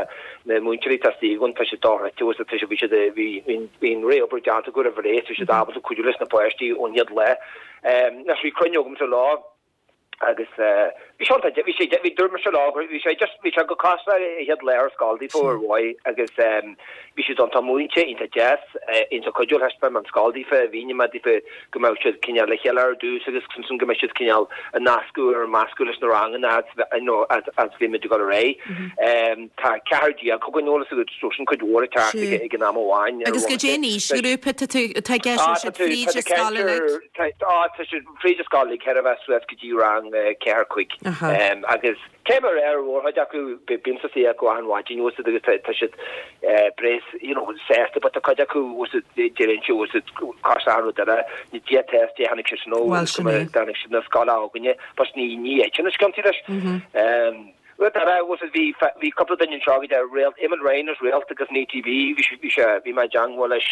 na múinteoirí atá istigh againn, tá siad dochreidte, bhfuil siad, tá siad, bhí siad, bhí, bhí, bhí an réamhobair déanta acu roimh ré, tá siad ábalta cuidiú leis na páistí ón chéad lá. Anois bhí cruinniú agamsa leo agus bhí sé iontach, bhí sé, bhí, dúirt mise leo, bhí sé just, bhí sé go cosúil le an chéad lá ar scoil daofa ar mhaith agus bhí siad iontach múinte, iontach deas, iontach cuidiúil, thaispeáin mé an scoil daofa, mhínigh mé daofa go mbeadh siad cineál le chéile ar dtús agus ansin go mbeadh siad cineál ag nascadh ar meascadh leis na ranganna you know, as bhí muid ag dul ar aghaidh. Tá 14 againn eolas agat, so sin cuid mhór ag teacht ag an am amháin. Agus goidé an aoisghrúpa atá tú, atá i gceist, bhfuil siad fríd an scoil uilig? Tá, tá siad fríd an scoil uilig, chóir a bheith suas go dtí rang 4, 5. Agus cé mar ar mhórchuid acu, bímse istigh acu achan mhaidin, bhfuil fhios agat, agus tá siad breá, you know, sásta, but tá cuid acu, bhfuil fhios agat, deireann siad, bhfuil fhios agat, cosúil achan rud eile, ní dia test, dé tháinig siad sin ó, Bhuel, sin é. tháinig siad na scoile againne, but ní, ní fheicfinn na sciontaí leis. Rud eile, bhfuil fhios agat, bhí, bhí cúpla duine anseo go dtí réalt, Eamon Ryan is réalt agus an ATB, bhí sé, bhí sé, bhí mé i dteangmháil leis,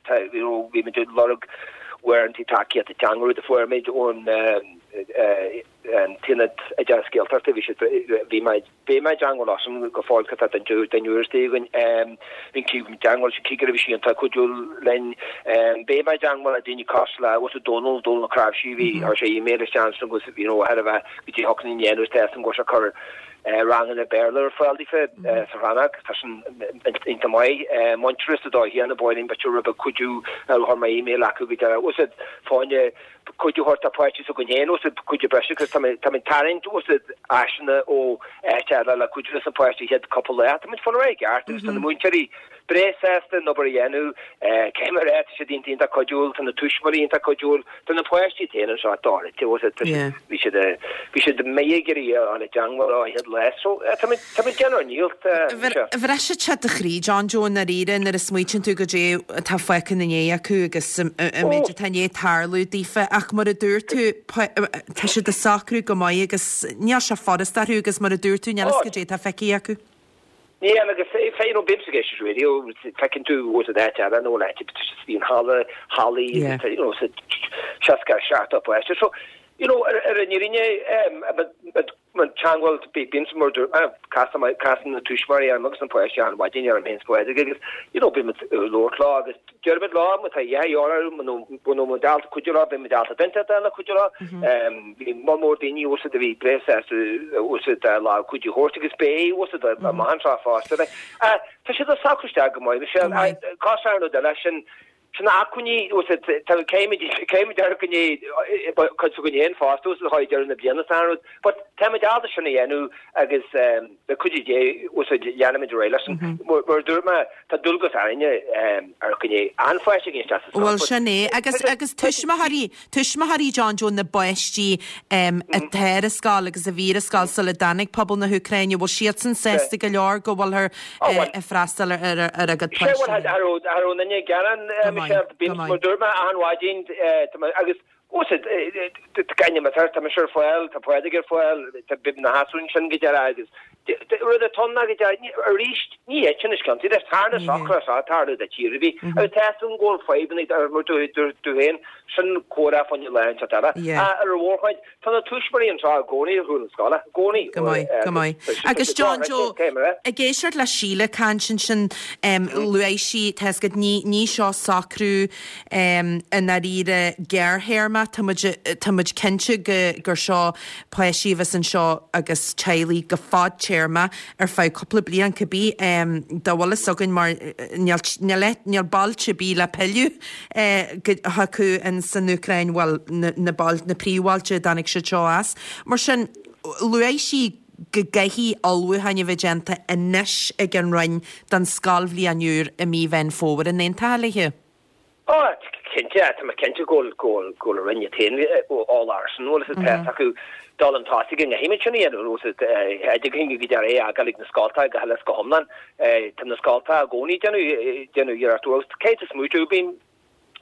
tá, you know, bhí muid ag lorg uaireanta tacaíochta teanga, rud a fuair muid ón an tAonad Oideachais Gaeltachta, bhí siad, bhí mé, bhí mé i dteangmháil leosan go fóill tá duine, duine úr istigh againn, bhí mé i dteangmháil leis an cigire, bhí sé iontach cuidiúil linn, bhí mé i dteangmháil le daoine cosúil le, bhfuil fhios agat, Dónal, Dónal Ó Cnáimhsí, bhí, chuir sé email isteach ansin agus, you know, thar a bheith, go dtí thug na ndéanamh is tá an go sé cur. Ranganna Béarla ar fáil daofa sa rannóg, tá sin iontach maith. Muintearas a dóigh na bóithrín b'fhéidir rud beag cuidiú a chuir mé email acu go deireadh. Bhfuil a fhios agat fá choinne cuidiú a thabhairt do pháistí s'againn féin, bhfuil a fhios agat cuidiú breise agus tá mé tá mé ag tarraingt bhfuil a fhios agat áiseanna ó áit eile le cuidiú leis na páistí chéad cúpla lá. Tá muid fáil ar aghaidh i gceart agus tá na múinteoirí breá sásta an obair a dhéanamh. Cé mar é, tá siad iontach iontach cuidiúil, tá na tuismitheoirí iontach cuidiúil. Tá na páistí féin anseo dochreidte, bhfuil a fhios agat, bhí siad bhí siad méith ag iarraidh a fháil i dteangmháil leo an chéad lá so tá muid tá muid ag déanamh ár ndícheall anseo. Bhrisfeadh sé do chroí, John Joe, i ndáiríre nuair a smaoitíonn tú goidé atá fágtha ina ndiaidh acu agus an méid atá i ndiaidh tarlú daofa ach mar a dúirt tú tá siad ag socrú go maith agus níl sé furast orthu agus mar a dúirt tú níl fhios goidé atá feicthe acu. Níl, agus you know, bímse ag éisteacht radio, feiceann tú bhfuil a fhios agat áit eile nó áit bíonn halla, hallaí, you know, 60, 70 páiste. So, you know, ar ar an fhírinne, an teangmháil, bímse mar dúirt mé, casann casann na tuismitheoirí orm agus na páistí achan mhaidin orm féin 's Pádraig agus, you know, bímid ag labhairt leo agus Deirimid leo, má tá a dhath de dhíth orthu, muna bhfuil muid ábalta cuidiú leo, beidh muid ábalta duine inteacht a cuidiú leo. Bhí moll mór daoine bhfuil a fhios agat a bhí breá sásta bhfuil a fhios agat lámh cuidiú a thabhairt agus beidh bhfuil a fhios agat amach anseo fosta. Tá siad ag socrú isteach go maith. Cás ar rud eile sin sin acmhainní bhfuil a fhios agat tá caithfimid caithfimid ar go ndéanfaidh cuid s'againn féin fosta bhfuil a fhios agat chuig deireadh na bliana san rud. But táimid ábalta sin a dhéanamh agus le cuidiú Dé bhfuil a fhios agat leanfaimid ar aghaidh leis sin. Mar a dúirt mé, tá dualgas orainne ar go ndéanfaidh an pháiste againn isteach sa scoil. Bhuel sin é. Agus agus tuismitheoirí, tuismitheoirí John Joe na bpáistí atá ar an scoil agus a bhí ar an scoil sula dtáinig pobal na hÚcráine, bhfuil siadsan sásta go leor go bhfuilthear ag freastal ar ar a gcuid páistí? Sea, bhuel, cha raibh, cha raibh aon duine ag gearán, Michelle, bím, mar a dúirt mé, achan mhaidin, agus Bhfuil a fhios agat, gan imeacht thart, tá mise ar fáil, tá Pádraig ar fáil, tá bíonn na gasúir ansin go deireadh agus rud atá ann ná go deireadh, arís, ní fhéadfainn sin a sciontaí leis, thar na socruithe seo tarlú do tír ar bith agus tá fhios agam go bhfuil fadhbanna mar dúirt tú féin, sin comhrá fá choinne lá inteacht eile. Ar an mhórchuid, tá na tuismitheoirí anseo i gcónaí ar chúl na scoile, i gcónaí. Go maith, go maith. Agus John Joe, ag éisteacht le Síle ag caint ansin, luaigh sí, tá fhios agat, ní, ní seo socrú, I ndáiríre gearrthéarma, tá muid, tá muid cinnte go, gur seo páistí a bheas anseo agus teaghlaigh go fadtéarma ar feadh cúpla bliain cibé, dá bhfuil fhios againn mar níl, níl, níl bailte ar bith le pilleadh chucu in san Úcráin, bhuel na, na bail, na príomhbhailte a dtáinig siad seo as. Mar sin, luaigh sí go gcaithfidh ullmhúcháin a bheith déanta anois ag an Roinn don scoilbhliain úr i mí Mheán Fómhair. An aontófá léi? Ó, cinnte, tá mé cinnte go bhfuil, go bhfuil, go bhfuil an Roinn iad féin eolach air sin, bhfuil a fhios agat, tá fhios acu dul chun tosaigh go gcaithfimid sin a dhéanamh, bhfuil a fhios agat, oideachas go deireadh é a fhágáil ag na scoltacha go huile is go hiomlán. Tá na scoltacha i gcónaí ag déanamh, déanamh iarracht, bhuel, caithfidh tú smaoitiú, bíonn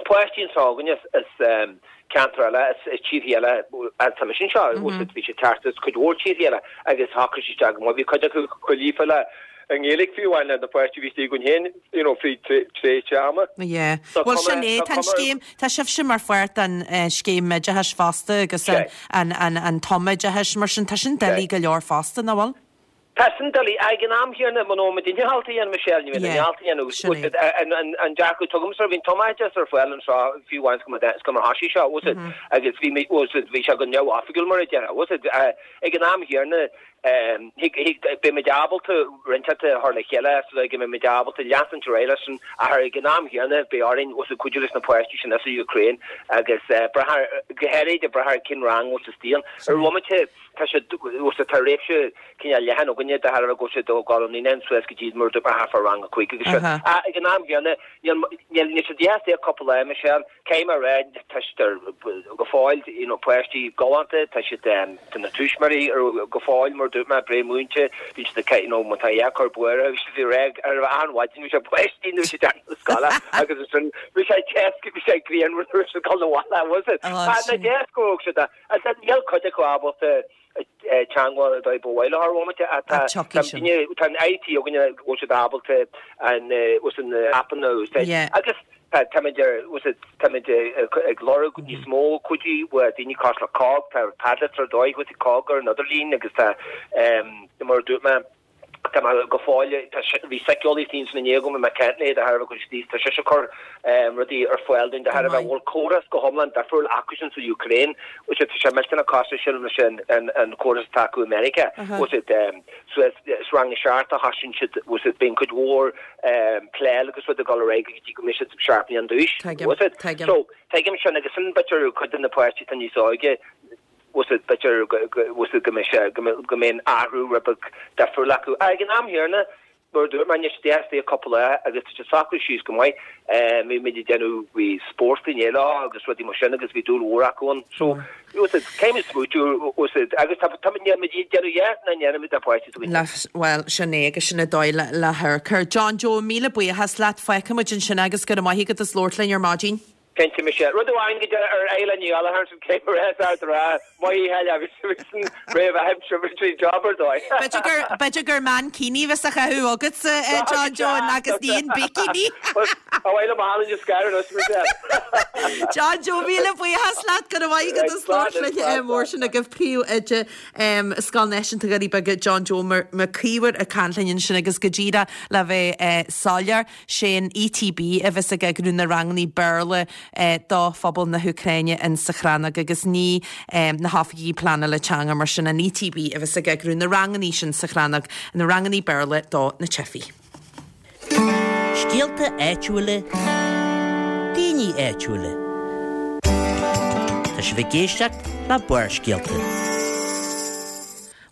páistí anseo againne as ceantar eile, as tíortha eile, tá mise anseo, bhfuil a fhios agat, bhí siad ag teacht as cuid mhór tíortha eile agus shocraigh siad isteach go maith, bhí cuid acu chomh líofa le an nGaeilge fiú amháin le na páistí a bhí istigh againn féin, you know, fríd tréimhse ama. Yeah. Bhuel sin é, tá an scéim, tá sibhse mar pháirt den scéim oideachais fosta agus an, an, an tumoideachais mar sin, tá sin doiligh go leor fosta, nach bhfuil? Tá sin doiligh. Ag an am chéanna, muna bhfuil muid ábalta a dhéanamh, Michelle, ní bheidh muid ábalta a dhéanamh. Sin é. An dearcadh atá agamsa, bhí an tumoideachas ar fáil anseo fiú amháin is go mar thosaigh seo, bhfuil a fhios agat, agus bhí mé, bhfuil a fhios agat, bhí sé go neamhoifigiúil mar a déarfá, bhfuil a fhios agat, ag an am chéanna, Beidh muid ábalta roinnt a chur le chéile so go mbeidh muid ábalta leanúint ar aghaidh leis sin ach ag an am chéanna beidh orainn bhfuil a fhios agat cuidiú leis na páistí sin as an Ukraine agus brath ar, go háirid ag brath ar cén rang a bhfuil siad istigh ann. Ar bhomaite tá siad, bhfuil a fhios agat, tá réimse cineál leathan againne de thairbhe go bhfuil siad ag dul ó naíonáin suas go dtí mar a dúirt mé thart fá rang a 5 agus seo. Ach ag an am chéanna níl, níl siad istigh ach cúpla lá, Michelle. Caithfidh mé a rá, tá siad ar, go fóill, you know, páistí galánta, tá siad, tá na tuismitheoirí ar, go fóill, mar a dúirt mé, breá múinte, bíonn siad ag, you know, má tá a cur buartha, bhí siad ag rá ar achan mhaidin, bhí sé páistí nuair siad ag na scoile agus ansin bhí sé deas, bhí sé grianmhar nuair siad ag dul abhaile, was it? Tá na deas go raibh siad, agus níl cuid acu ábalta, teagmháil ar dóigh ba mhaith leo ar bhomaite ach tá tá an IT againne go bhfuil siad ábalta an bhfuil an aipeanna a úsáid agus táimid ar bhfuil táimid ag lorg níos mó cuidiú ó daoine cosúil le COGG tá Padlet ar dóigh bhfuil COGG ar an idirlíon agus tá mar a dúirt mé. Ach tá mé go fóill, tá, bhí síceolaí istigh ansin inné agam, bhí mé ag caint léi de thairbhe cuid istigh, tá sise ag cur rudaí ar fáil dúinn de thairbhe a bhfuil córas go hiomlán difriúil acusan sa Ukraine, bhfuil sé, tá sé millteanach cosúil sin leis an an córas atá acu i Meiriceá, bhfuil sé, so is rang a seacht a thosaíonn siad, bhfuil sé, bíonn cuid mhór pléáil agus rud ag dul ar aghaidh go dtí go mbeidh siad 7 mbliana d'aois, bhfuil sé. So, tuigim sin agus sin b'fhéidir cuid de na páistí atá níos óige, bhfuil sé, b'fhéidir bhfuil sé go mbeidh sé, go mbeidh an athrú rud beag difriúil acu. Ach ag an am chéanna, Mar a dúirt mé, anois istigh cúpla lá agus tá siad socraithe síos go maith. Bhí muid ag déanamh, bhí spórt inné leo agus rudaí mar sin agus bhí dúil mhór acu ann. So, bhfuil a fhios agat, caithfidh muid smaoitiú, bhfuil a fhios agat, agus tá, tá, níl muid ag déanamh a dhath nach ndéanaimid le páistí s'againne. Le, bhuel, sin é agus sin an dóigh le, le hamharc air. John Joe, míle buíochas leat, fágfaidh muid ansin é agus go raibh maith agat as labhairt linn ar maidin. Cinnte, mise. Rud amháin go deireadh ar Isla Ní Ghallchóir ansin cé go raibh ard rá, maith a Sheile, bhí sin réamh-aimsir, bhí sé job ar dóigh. B'fhéidir gur, b'fhéidir gur mankini a bheas á chaitheamh agatsa, a John Joe, agus ní an bikini. Ba mhaith liom a tháinig an scair anois, Michelle. John Joe, míle buíochas leat, go raibh maith agat as labhairt linn mór sin agaibh príomhoide Scoil Náisiúnta Dhoirí Beaga, John Joe Mac Íomhair ag caint linn ansin agus go díreach le bheith soiléir. Sé an ETB a bheas ag eagrú na rangannaí Béarla do phobal na hÚcráine in sa Chrannóg agus ní na hoifigigh pleanála teanga mar sin an ETB a bheas ag eagrú na rangannaí sin sa Chrannóg, na rangannaí Béarla do na teifigh. Scéalta áitiúla, daoine áitiúla. Tá sibh ag éisteacht le Barrscéalta.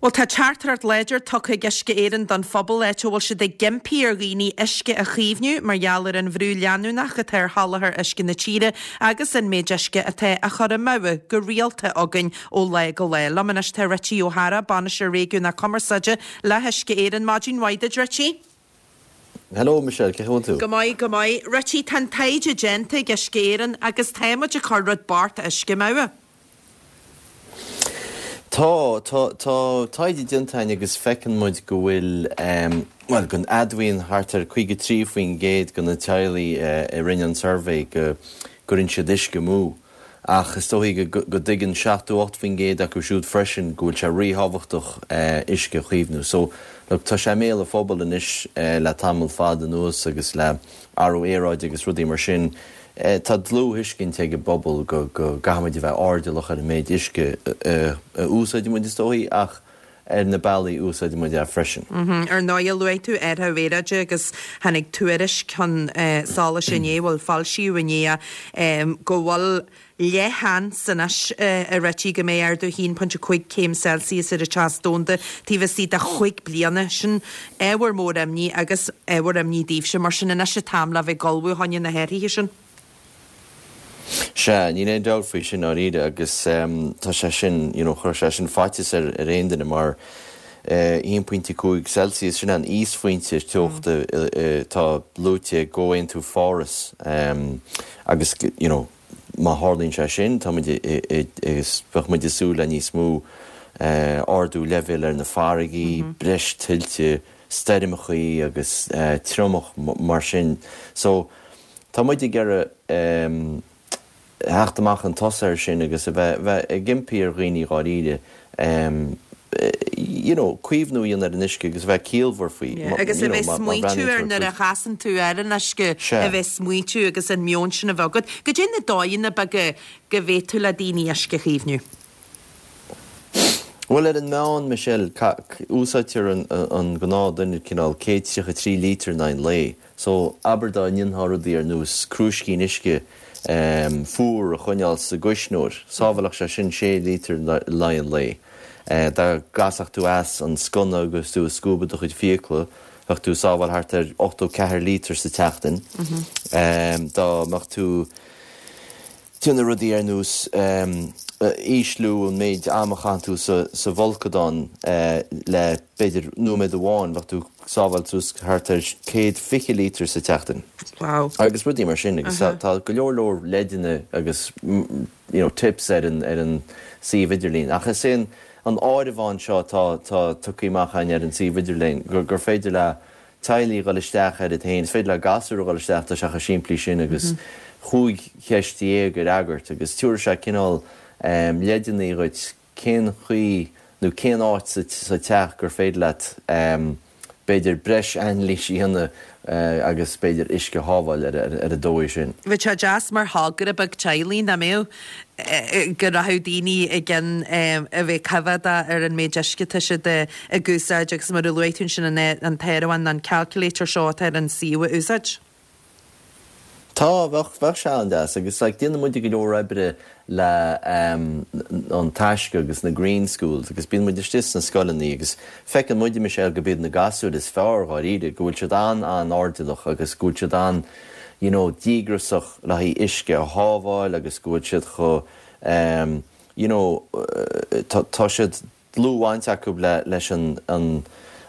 Bhuel, tá teachtaireacht láidir tugtha ag Uisce Éireann don phobal áit a bhfuil siad ag impí ar dhaoine uisce a chaomhnú mar gheall ar an bhrú leanúnach atá ar sholáthar uisce na tíre agus an méid uisce atá á chur amú go rialta againn ó lá go lá. Liom anois tá Richie Ó hEára, Bainisteoir Réigiúnach Cumarsáide le hUisce Éireann. Maidin mhaith duit, Richie. Hello Michelle, cén chaoi a bhfuil tú? Go maith, go maith. Richie, tá an taighde déanta ag Uisce Éireann agus tá muid ag cur rud bocht uisce amú. Tá, tá, tá taighde déanta againn agus feiceann muid go bhfuil, bhuel, go n-admhaíonn thart ar 53% de na teaghlaigh a rinne an suirbhé go gcuireann siad uisce amú. Ach is dóichí go dtuigeann 78% acu siúd freisin go bhfuil sé ríthábhachtach uisce a chaomhnú. So, look, tá sé i mbéal an phobail anois le tamall fada anuas agus le athrú aeráide agus rudaí mar sin, Tá dlúth-thuiscint ag an bpobal go gcaithfimid a bheith airdeallach ar an méid uisce a úsáidimid, is dóichí, ach ar na bealaí a úsáidimid é freisin. Ar ndóigh, luaigh tú athrú aeráide agus tháinig tuairisc chun solais inné, bhuel, foilsíodh inné é, go bhfuil leathsheans anois, a Richie, go mbeidh ardú 1.5 céim Celsius ar an teas domhanda taobh istigh de chúig bliana. Sin ábhar mór imní agus ábhar imní daoibhse, mar sin anois an t-am le bheith ag ullmhú fá choinne na hathruithe sin. Sea, níl aon dabht faoi sin ndáiríre agus tá sé sin, you know, chuirfeadh sé sin faitíos ar aon duine mar 1.5 Celsius, sin an íosphointe teochta atá luaite i gComhaontú Pháras agus, you know, má tharlaíonn sé sin, tá muid agus bheadh muid ag súil le níos mó ardú leibhéil ar na farraigí, breis tuilte, stoirmeachaí agus triomach mar sin. So, tá muid ag iarraidh theacht amach chun tosaigh air sin agus a bheith bheith ag impí ar dhaoine dháiríre you know, caomhnú a dhéanamh ar an uisce agus a bheith ciallmhar faoi. Yeah, agus a bheith smaointiú air nuair a chasann tú ar an uisce, a bheith smaointiú agus an meon sin a bheith agat. Goidé na dóigheanna beaga go bhféadfadh le daoine uisce a chaomhnú? Bhuel, ar an meán, Michelle, úsáidtear an gnáth-duine cineál 133 lítear in aghaidh an lae. So, abair dá ndéanfá rudaí ar nós crúiscín uisce fuar a choinneáil sa gcuisneoir, sábhálfadh sé sin sé lítear in aghaidh an lae. Dá gcasfadh tú as an sconna agus tú ag scuabadh do chuid fiacla, bheadh tú ag sábháil thart ar 84 lítear sa tseachtain. Dá mbeadh tú. Déanamh rudaí ar nós ísliú an méid ama a chaitheann tú sa bhfolcadán le b'fhéidir nóiméad amháin, bheadh tú ag sábháil suas thart ar 120 lítear sa tseachtain. Wow. Agus rudaí mar sin agus tá go leor leor leideanna agus you know tips ar an ar an suíomh idirlín. Ach is é an an áireamhán seo atá atá tugtha amach againn ar an suíomh idirlín gur gur féidir le teaghlaigh a dhul isteach air iad féin. Is féidir le gasúir a dhul isteach, tá sé chomh simplí sin agus chúig cheist dhéag a fhreagairt agus tabharfaidh sé cineál leideanna dhuit cén chaoi nó cén áit sa teach gur féidir leat. b'fhéidir breis anailís a dhéanamh agus b'fhéidir uisce a shábháil ar an dóigh sin. Bheadh sé deas mar thogra beag teaghlaigh, nach mbeadh, go rachadh daoine i gcionn a bheith coimhéadach ar an méid uisce atá siad ag úsáid agus mar a luaigh tú ansin an t-áireamhán, an calculator seo atá ar an suíomh a úsáid. Tá, bheadh, bheadh sé an-deas agus like déanann muide go leor oibre le An Taisce agus na Green Schools agus bíonn muid istigh sna scoileanna agus feiceann muide, Michelle, go b'iad na gasúir is fearr dháiríre, go bhfuil siad an-an-airdeallach agus go bhfuil siad an you know díograsach le haghaidh uisce a shábháil agus go bhfuil siad chomh ehm you know tá, tá siad dlúthbhaint acu leis an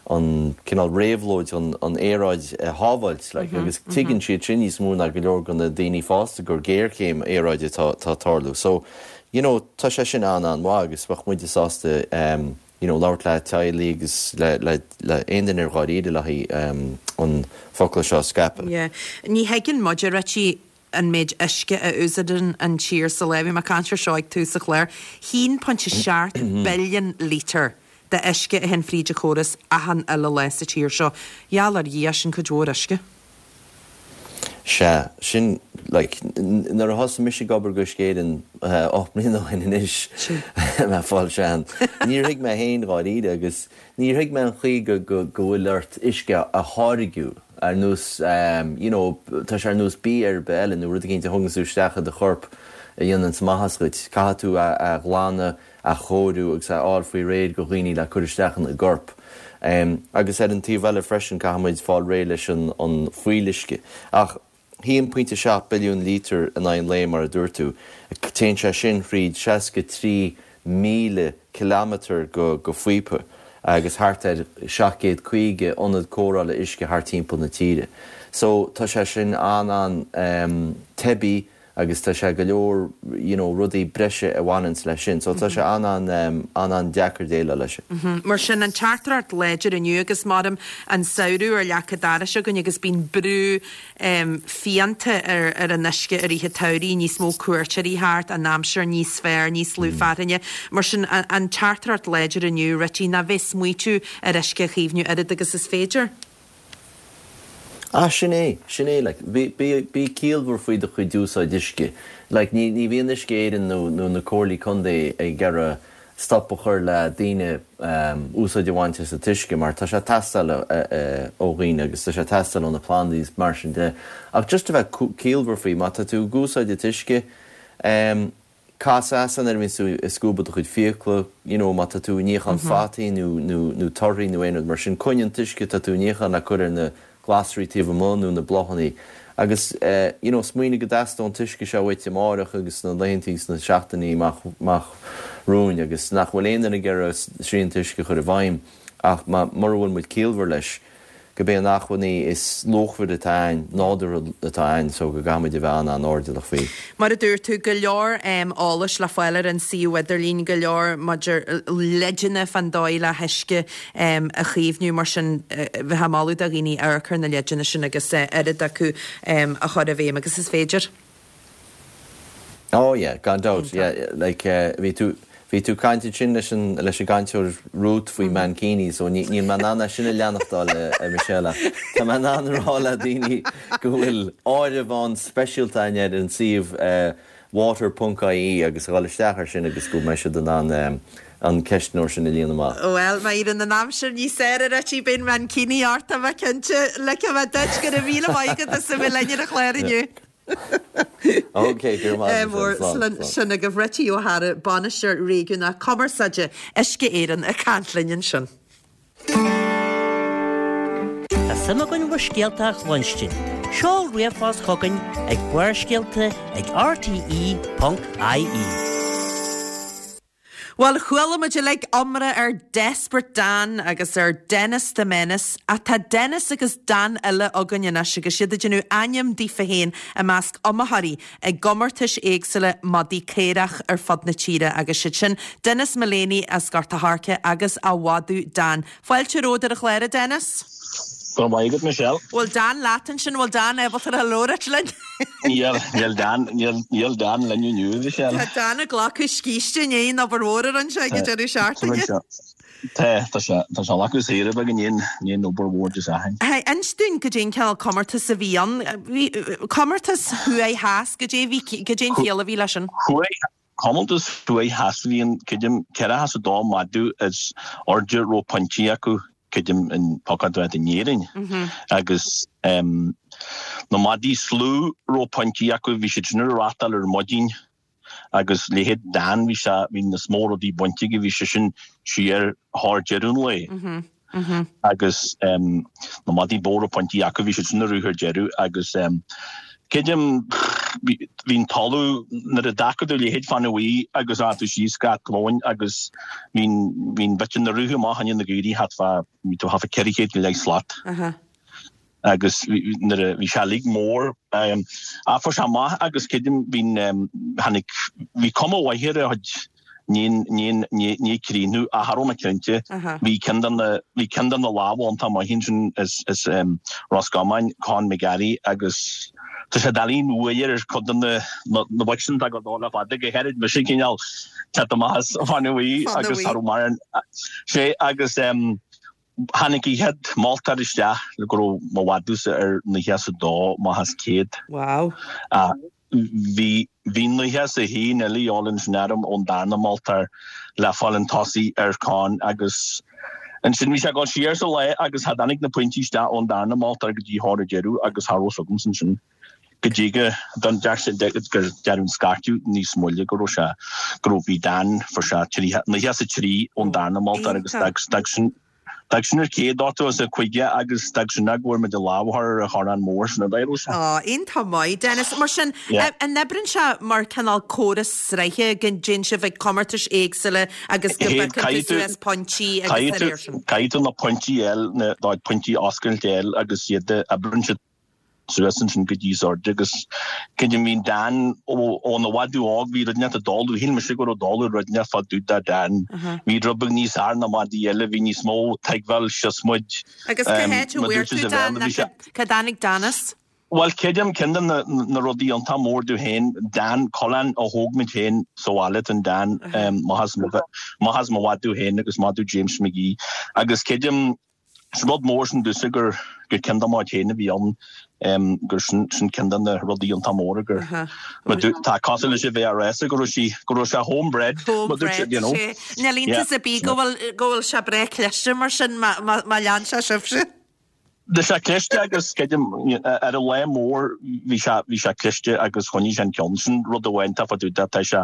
an cineál réabhlóid an an aeráid a shábháilt like agus tuigeann siad sin níos mó ná go leor de na daoine fásta gur géarchéim aeráide atá atá ag tarlú. So you know tá sé sin an-an-mhaith agus bheadh muide sásta um you know labhairt le teaghlaigh agus le le le aon duine ar dháiríre le haghaidh um an focal seo a scaipeadh. Yeah. Ní thuigeann muid, a Richie, an méid uisce a úsáideann an tír sa lá. Bhí mé ag caint ar seo ag tús an chláir. 1.7 billiún lítear de uisce a théann fríd an chóras achan uile lá sa tír seo. Gheall ar Dhia, sin cuid mhór uisce. Sea, sin, like, nuair a thosaigh mise ag obair do Uisce Éireann 8 mbliana ó shin anois, mé ag fáil sean, níor thuig mé féin dháiríre agus níor thuig mé an chaoi go, go, go bhfuil ort uisce a tháirgiú. ar nós you know tá sé ar nós bia ar bith eile nó rud eicínt a thugann tú isteach i do chorp a dhéananns maitheas dhuit. Caithfidh tú é a ghlanadh, a chóiriú agus a fháil faoi réir do dhaoine le cur isteach ina gcorp. Agus ar an taobh eile freisin caithfidh muid fáil réidh leis an an fuíolluisce. Ach 1.7 billiún lítear in aghaidh an lae mar a dúirt tú, téann sé sin thríd 63,000 kilometre go phíopa agus thart ar 750 ionad cóireála uisce thart timpeall na tíre. So tá sé sin an-an-teibí agus tá sé go leor you know rudaí breise a bhaineanns leis sin. So tá sé an-an an-an-deacair déileáil leis. Mar sin an teachtaireacht láidir inniu agus maram an samhradh ar leac an dorais againn agus bíonn brú fiánta ar an uisce i rith an tsamhraidh, níos mó cuairteoirí thart, an aimsir níos fearr, níos lú fearthainne. Mar sin, an teachtaireacht láidir inniu, Richie, ná bheith smaoitiú ar uisce a chaomhnú oiread agus is féidir. Ah, sin é, sin é, like, bí, bí, bí ciallmhar faoi do chuid úsáid uisce. Like, ní, ní bhíonn Uisce Éireann nó, nó na comhairlí contae ag iarraidh stop a chur le daoine úsáid a bhaint as an t-uisce mar tá sé ag teastáil ó dhaoine agus tá sé ag teastáil ó na plandaí is mar sin de. Ach just a bheith ciallmhar faoi, má tá tú ag úsáid an t-uisce, cas as nuair a bhíonns tú ag scuabadh do chuid fiacla, you know má tá tú ag níochán fataí nó nó torthaí nó aon rud mar sin, coinnigh an t-uisce atá tú ag níochán le cur ar na glasraí taobh amuigh nó na bláthanna agus you know smaoinigh go dteastóidh an t-uisce seo uait amáireach agus sna laethanta agus sna seachtainí amach amach romhainn agus nach bhfuil aon duine ag iarraidh srianta uisce a chur i bhfeidhm ach má mura bhfuil muid ciallmhar leis gurb é an acmhainní is luachmhaire atá a'ainn, nádúrtha atá a'ainn so go gcaithfidh muid a bheith an-an-airdeallach faoi. Mar a dúirt tú, go leor eolais le fáil ar an suíomh idirlín, go leor maidir leideanna fán dóigh le huisce a chaomhnú, mar sin bheifeá ag moladh do dhaoine amharc ar na leideanna sin agus oiread acu a chur i bhfeidhm agus is féidir. Oh yeah, gan dabht, yeah, like bhí tú, bhí tú ag caint ansin leis an, leis an gcainteoir Ruth faoi Mankini so ní, níl mé in ann é sin a leanachtáil a Michelle ach tá mé in ann a rá le daoine go bhfuil áireamhán speisialta againn ar an suíomh water ponc ie agus a dhul isteach ar sin agus go mbeidh siad in ann an ceistneoir sin a líonadh amach. Bhuel, má éiríonn an aimsir níos fearr a Richie, beidh an mankini ort, tá mé cinnte. Ligfidh mé duit, go raibh míle maith agat as a bheith linn ar an chlár inniu. Ok, go raibh maith agat, Slán, slán. Sin agaibh Richie Ó hEadhra, Bainisteoir Réigiúnach Cumarsáide Uisce Éireann ag caint linn ansin. Tá suim againn bhur scéalta a chluinstin. Seol ríomhphost chugainn ag barrscéalta ag rte.ie. Bhuel, chuala muid uilig iomrá ar Desperate Dan agus ar Dennis the Menace, ach tá Dennis agus Dan eile againn anois agus iad ag déanamh ainm daofa féin i measc iomaitheoirí i gcomórtais éagsúla madaí caorach ar fud na tíre agus siad sin Denis Mullaney as Gort a' Choirce agus a mhadadh Dan. Fáilte romhat ar an chlár, a Dennis. Go raibh maith agat, Michelle. Bhfuil Dan leat ansin? Bhfuil Dan ábalta a labhairt linn? Níl, níl Dan, níl, níl Dan linn inniu, Michelle. Tá Dan ag glacadh scíste i ndiaidh an obair mhór a rinne sé ag an deireadh seachtaine. Tá, tá sé, tá sé leathadh saoire beag i ndiaidh, i ndiaidh an obair mhór Dé Sathairn. Hey, inis dúinn goidé an cineál comórtas a bhí ann. Bhí, comórtas thuaidh theas, goidé a bhí, goidé an chiall a bhí leis sin? Thuaidh, comórtas thuaidh theas a bhí ann, creidim, 42 madadh is airde a raibh pointí acu, creidim, in pocáid in Éirinn. Agus na madaí is lú a raibh pointí acu, bhí siad sin ar rátáil ar maidin. Agus leithéid Dan, bhí sé, bhí níos mó rudaí bainte aige, bhí sé sin siar thar deireadh an lae. Agus na madaí ba mhó a raibh pointí acu, bhí siad sin ag rith ar deireadh agus creidim, bhí an talamh, nuair a d'fhágfadh tú leithéid Fáinne Bhuí agus a tú síos go Áth Glóin agus bhí an, b'fhéidir nuair a rith amach i ndiaidh na gcaoirigh thart fá, bhí tú thart fá 400 go leith slat. agus nuair a bhí sé uilig mór ach fuair sé amach agus creidim bhí tháinig bhí cuma mhaith ar a chuid ní ní ní ní críonnú ach cha raibh mé cinnte bhí ceann de na bhí ceann de na lámha iontach maith ansin as as Ros Comáin Con McGarry agus tá sé doiligh uaidh ar chuid de na na boic sin atá ag dul le fada go háirid mise cineál teacht amach as Fáinne Bhuí agus cha raibh mar sé agus Tháinig an chéad moltóir isteach le go raibh mo mhadadh-sa ar 92 amach as 100. Wow. Bhí bhí 91 eile a dhíobháil ansin orm ón darna moltóir le fáil an tosaigh ar Con agus ansin bhí sé ag dul siar sa lá agus cha dtáinig na pointí isteach ón darna moltóir go dtí thar an deireadh agus cha raibh 's agamsa ansin go dtí go don deir sé gur deireadh an scairteadh níos moille go raibh sé go raibh bhí Dan fuair sé 93 ón darna moltóir agus d'fhág sin d'fhág sin ar 100 85 agus d'fhág sin go bhfuair muid an lámh ar an chornán mór sin a d'éireodh sé. Á, iontach maith, Dennis. Mar sin, an oibreann sé mar cineál córas sraithe go dtéann sibh ag comórtais éagsúla agus go bpiocann tú suas pointí agus dá réir sin? Caithfidh tú na pointí a fháil, na pointí oscailte a fháil agus iad a oibreann siad suas ansin go dtí is airde agus creidim bhí Dan óna mhadadh óg bhí rud inteacht ag dul shíl mise go raibh dul rud inteacht fá dtaobh de Dan. Bhí rud beag níos fhearr ná madaí eile, bhí níos mó tuigbheáil síos muid. Agus cá háit a bhfuair tú Dan nó cá dtáinig Dan as? Bhuel creidim ceann de na rudaí iontach mór domh féin, Dan, coileán a thóg muid féin sa bhaile don Dan, maith as mo mhadadh féin agus madadh James McGee agus creidim Is rud mór sin domhsa gur gur ceann de mo chuid féin a bhí ann, gur sin sin ceann de na rudaí iontach móra gur mar dú tá cosúil leis a bheith á rá sa go raibh sí go raibh sé home bred mar dúirt siad you know. Home bred, sé. Níl iontas ar bith go bhfuil go bhfuil sé breá cliste mar sin má má má lean sé sibhse. Tá sé cliste agus creidim ar an lá mór bhí sé bhí sé cliste agus choinnigh sé an ceann sin rud amháin tá fá dtaobh de tá sé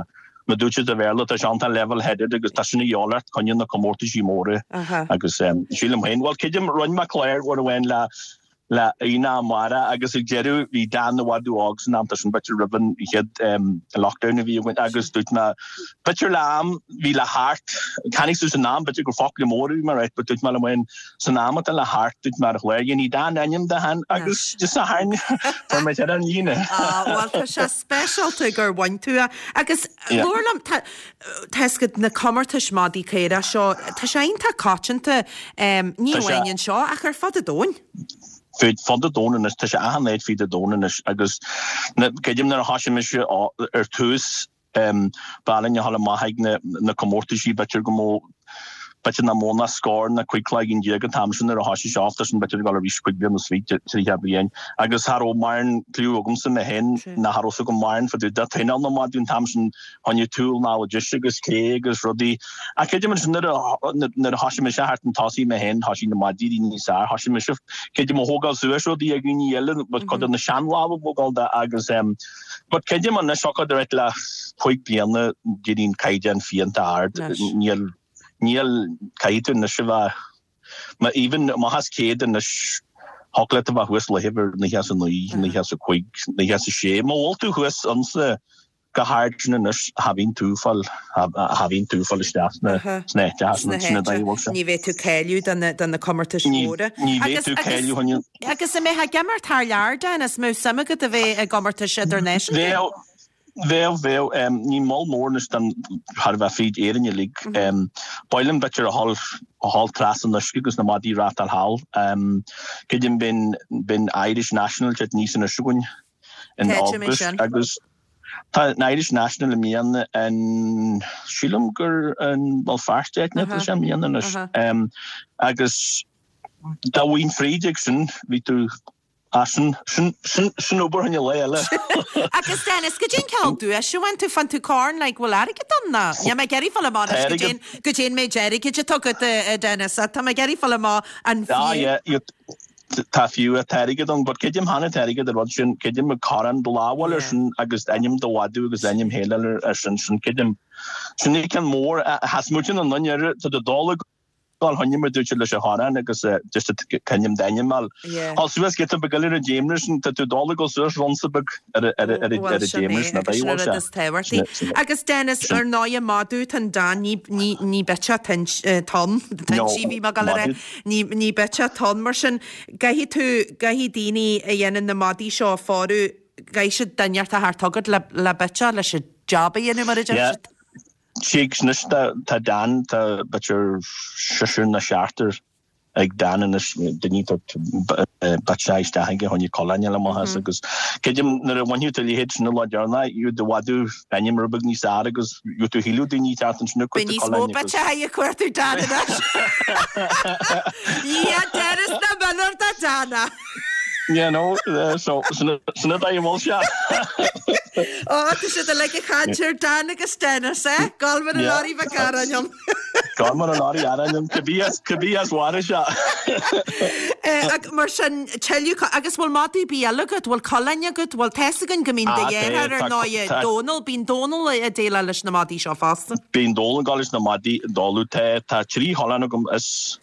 Mar dúirt siad sa Bhéarla, tá sé iontach level headed agus tá sin a dhíobháil ort coinne na comórtaisí móra agus sílim féin, bhuel creidim, rinne mé clár uair amháin le le Aoine Mara agus ag deireadh bhí Dan i bhfad óg san am, tá sin b'fhéidir roimh an chéad lockdown a bhí againn agus dúirt mé b'fhéidir le am bhí le theacht, tháinig suas an am b'fhéidir gur focla mór a bhí mé right but dúirt mé liom féin san am atá le theacht dúirt mé ar chlár dhéanfaidh Dan ainm de féin agus just a tharraing fuair mé ar an líne. Ah bhuel tá sé speisialta gur bhain tú é. Agus labhair liom, tá tá fhios agat na comórtais madaí caorach seo, tá sé iontach coitianta, ní amháin anseo ach ar fud an domhain. Fud fud an domhain anois, tá sé achan áit fud an domhain anois agus creidim nuair a thosaigh mise ar tús Ba áil linn a ghabháil amach ag na comórtaisí, b'fhéidir go mó, b'fhéidir nach mó ná scór ná 15 cloigeann an t-am sin nuair a thoisigh sé off, tá sin b'fhéidir ag dul arís 25 bliana, 30 bliain. Agus cha raibh mórán cliú agamsa mé féin, ná cha raibh 's agam mórán fá dtaobh de traenáil na madadh an t-am sin, choinnigh túl ná deis agus clé agus rudaí. Ach creidim ansin nuair a, nuair a thoisigh mise thart an tosaigh mé féin, thoisigh na madaí a éirí níos fearr, thoisigh mise, creidim a thógáil suas rudaí ag daoine eile, cuid de na seanlámha a thógáil de agus. But creidim anois thiocfadh right le 5 bliana d'éirigh an caighdeán fiánta ard. Níl, níl, caithfidh tú anois a bheith, má even amach as 100 anois thiocfadh leat a bheith thuas leithéid ar 99, 95, 96. Má bhfuil tú thuas ansa go hard sin anois cha bhíonn tú ag fáil, cha bhíonn tú ag fáil isteach sna, sna háiteacha sin, sin an dóigh a bhfuil sé. Ní bheidh tú cáiliú do na, do na comórtais mhóra. Ní bheidh tú cáiliú chun Agus an mbeifeá ag imirt thar lear, Dennis, mbeadh suim agat a bheith i gcomórtais idirnáisiúnta? Bheadh, bheadh, bheadh. Ní mol mór anois don thar a bheith fríd Éirinn uilig. Ba mhaith liom b'fhéidir a dhul, a dhul trasna an uisce agus na madaí a reáchtáil thall. Creidim bíonn, bíonn Irish National ag teacht aníos anois againn in Cá háit a mbeidh August sin? agus. Tá an Irish National i mbliana in, sílim gur in Béal Feirste áit atá sé i mbliana anois. Agus dá bhfaighinn fríd ag sin, bhí tú, ah sin, sin, sin, sin obair choinne lá eile. Agus Dennis, goidé an cineál duais a bhain tú, faigheann tú corn, like, bhfuil airgead ann ná? Níl mé ag iarraidh fáil amach anois goidé an, goidé an méid airgid atá agat, a Dennis, tá mé ag iarraidh fáil amach an Ah fiú. yeah, you, Tá fiú, tá airgead ann, but creidim cheana tá airgead ar rud sin, creidim ag corrán do lámháil ar sin agus ainm do mhadadh agus ainm féile ar sin, sin creidim. Sin é ceann mór, sheas muid ina nduine air, tá do dul ag dul choinne mar dúirt siad leis an chorrán agus just coinnim d'ainm fháil. Thall suas giota beag eile ar an dtéamra sin, tá tú dul ag dul suas runsa beag ar ar ar an Bhuel sin dtéamra é sin, agus sin an rud is tábhachtaí. Agus Dennis, ar ndóighe madadh tá an Dan ní ní ní bitseach tonn, toinsí bhí mé ag dul a rá. Ní, ní bitseach atá ann, mar sin, caithfidh tú, caithfidh daoine a dhéanann na madaí seo a phórú, caithfidh siad duine inteacht a theacht chugat le, le bitseach, leis an job a dhéanamh, mar a deir Yeah. siad. Sea, anois tá, tá Dan, tá b'fhéidir seisear nó seachtar ag Dan anois, daoine tá bitseach isteach aige, choinne coileáin a fháil amach as agus creidim nuair a bhainfidh tú a leithéid sin an lá deireanach, you do mhadadh ainm rud beag níos fhearr agus gheobhaidh tú thuilleadh daoine teacht ansin ag Beidh cuartú níos mó coileáin agus. bitseacha ag cuartú Dan anois. Yeah, Dennis na mionúr do Dan. Yeah, no, so sin sin an dóigh a bhfuil sé. Ó, tá siad uilig ag caint ar Dan agus Dennis, eh? Gol mar an Yeah. lorry bheag aráin ann. Gol mar an lorry aráin ann, cibé as cibé as mhair sé. Eh, ag, mar sin, tuilleadh, agus bhfuil madadh ar bith eile agat? Bhfuil coileáin agat? Bhfuil tá's againn go mbíonn do Ah, tá, dheartháir ar tá, ndóighe, tá. Dónal, bíonn Dónal ag déileáil leis na madaí seo fosta. Bíonn Dónal ag gabháil leis na madaí, Dónal, tá, tá trí choileán agam is,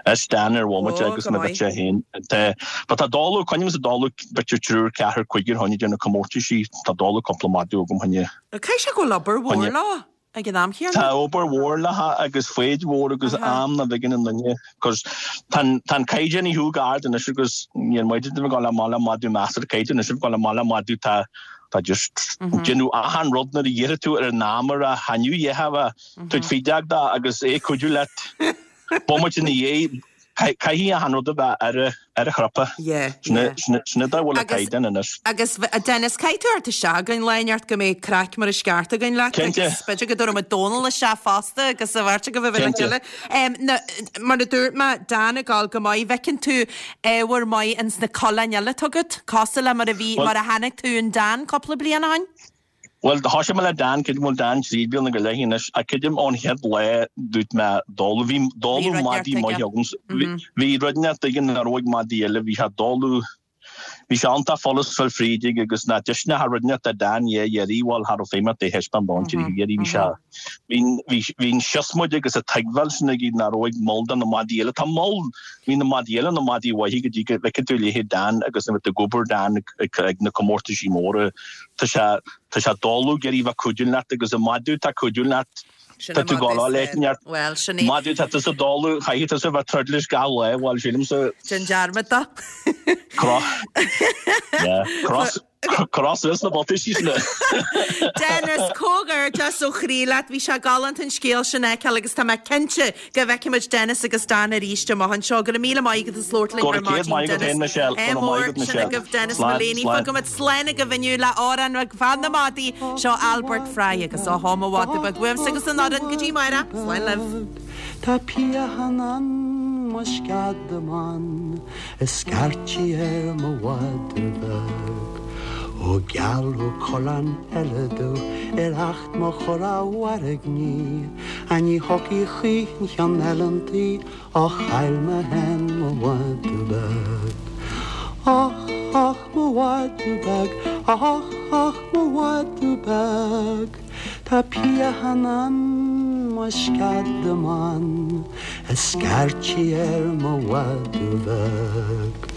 is Dan ar bhomaite Ó, agus go mo maith. bhitse féin. Tá, but tá Dónal, coinnímse Dónal b'fhéidir triúr, ceathrar, cúigear choinne déanamh comórtaisí, tá Dónal cúpla madadh agam choinne, Caithfidh sé go bhfuil obair mhór choinne. leo. Ag an am chéanna. Tá obair mhór léithe agus foighid mhór agus am nach bhfeiceann an duine cos tá an tá an caighdeán ní chomh ard anois agus níl muid ag dul amach le madadh measartha caighdeán anois ag dul amach le madadh tá tá just déanamh achan rud nuair a iarrfaidh tú ar an am ar a thaitneamh dhéanamh tabhairt faoi deara dó agus é ag cuidiú leat bomaite ina dhiaidh Caithfidh achan rud a bheith ar a chrupa. Yeah, yeah. Sin an dóigh a bhfuil an Agus, caighdeán anois. agus, a Dennis, caithfidh tú theacht isteach againn lá inteacht go mbeidh craic mar is ceart againn leat Cinnte. agus b'fhéidir go dtabharfaidh muid Dónal isteach fosta agus a bheirt agaibh a bheith le Cinnte. chéile. Em, na, mar a dúirt mé, Dan ag gabháil go maith, bhfeiceann tú ábhar maith ins na coileáin eile atá agat, cosúil le mar a bhí, Bhuel, mar a chonaic tú in Dan cúpla bliain ó shin? Bhuel, thoisigh mé le Dan, creidim bhfuil Dan 3 bliana go leith anois, ach creidim ón chéad lá dúirt mé Dónal, bhí Bhí Dónal rud madaí inteacht maith aige. agam, bhí rud inteacht aige nach raibh ag madaí eile, bhí sé Dónal, bhí sé iontach follas fáil fríd aige agus nach deis nach rud inteacht a Dan dhé iarraidh, bhuel, cha raibh feidhm ort é thaispeáint dó an tríú iarraidh, bhí sé, bhí, bhí, bhí an siosmaid agus an tuigbheáil sin aige nach raibh ag moll de na madaí eile, tá moll, Bhí na madaí eile na madaí mhaithe go dtí go bhfeiceann tú leithéid Dan agus nuair atá tú ag obair Dan ag na comórtaisí móra tá sé tá sé doiligh ag iarraidh bheith cuidiú leat agus an madadh atá cuidiú leat Sin tá an tú madadh ag gabháil is leis neart Bhuel, sin é. madadh tá tusa doiligh chaithfidh tusa bheith troid leis gach lá bhuel sílimse Déan dearmad dó. Cross yeah cross Cross suas na buataisí sin. Dennis, comhghairdeas ó chroí leat. Bhí sé galánta an scéal sin a fheiceáil agus tá mé cinnte go bhfeicfimid Dennis agus Dan arís amach anseo. Go raibh míle maith agat as labhairt linn Go ar raibh céad maidin, maith agat Dennis. féin, Michelle. Go Ádh raibh maith mór agat, sin Michelle. agaibh Dennis Slán, Mullaney. slán. Fágfaimid slán agaibh inniu le amhrán ag fan na madaí. Seo Albert Fry agus Ó hó mo mhadadh beag uaimse agus an fhoireann go dtí amárach. Slán libh. Tá pian ann mo sceadamán. A scairtí ar mo mhadadh beag. Ó gealladh coileán eile domh ar acht mo chur a mhairgní, A ní thiocfaidh choíche an cheann eile an tí, Ó chaill mé féin mo mhadadh beag. Och, och, mo mhadadh beag, och, och, mo mhadadh beag, Tá pian ann mo sceadamán, A scairtí ar mo mhadadh beag.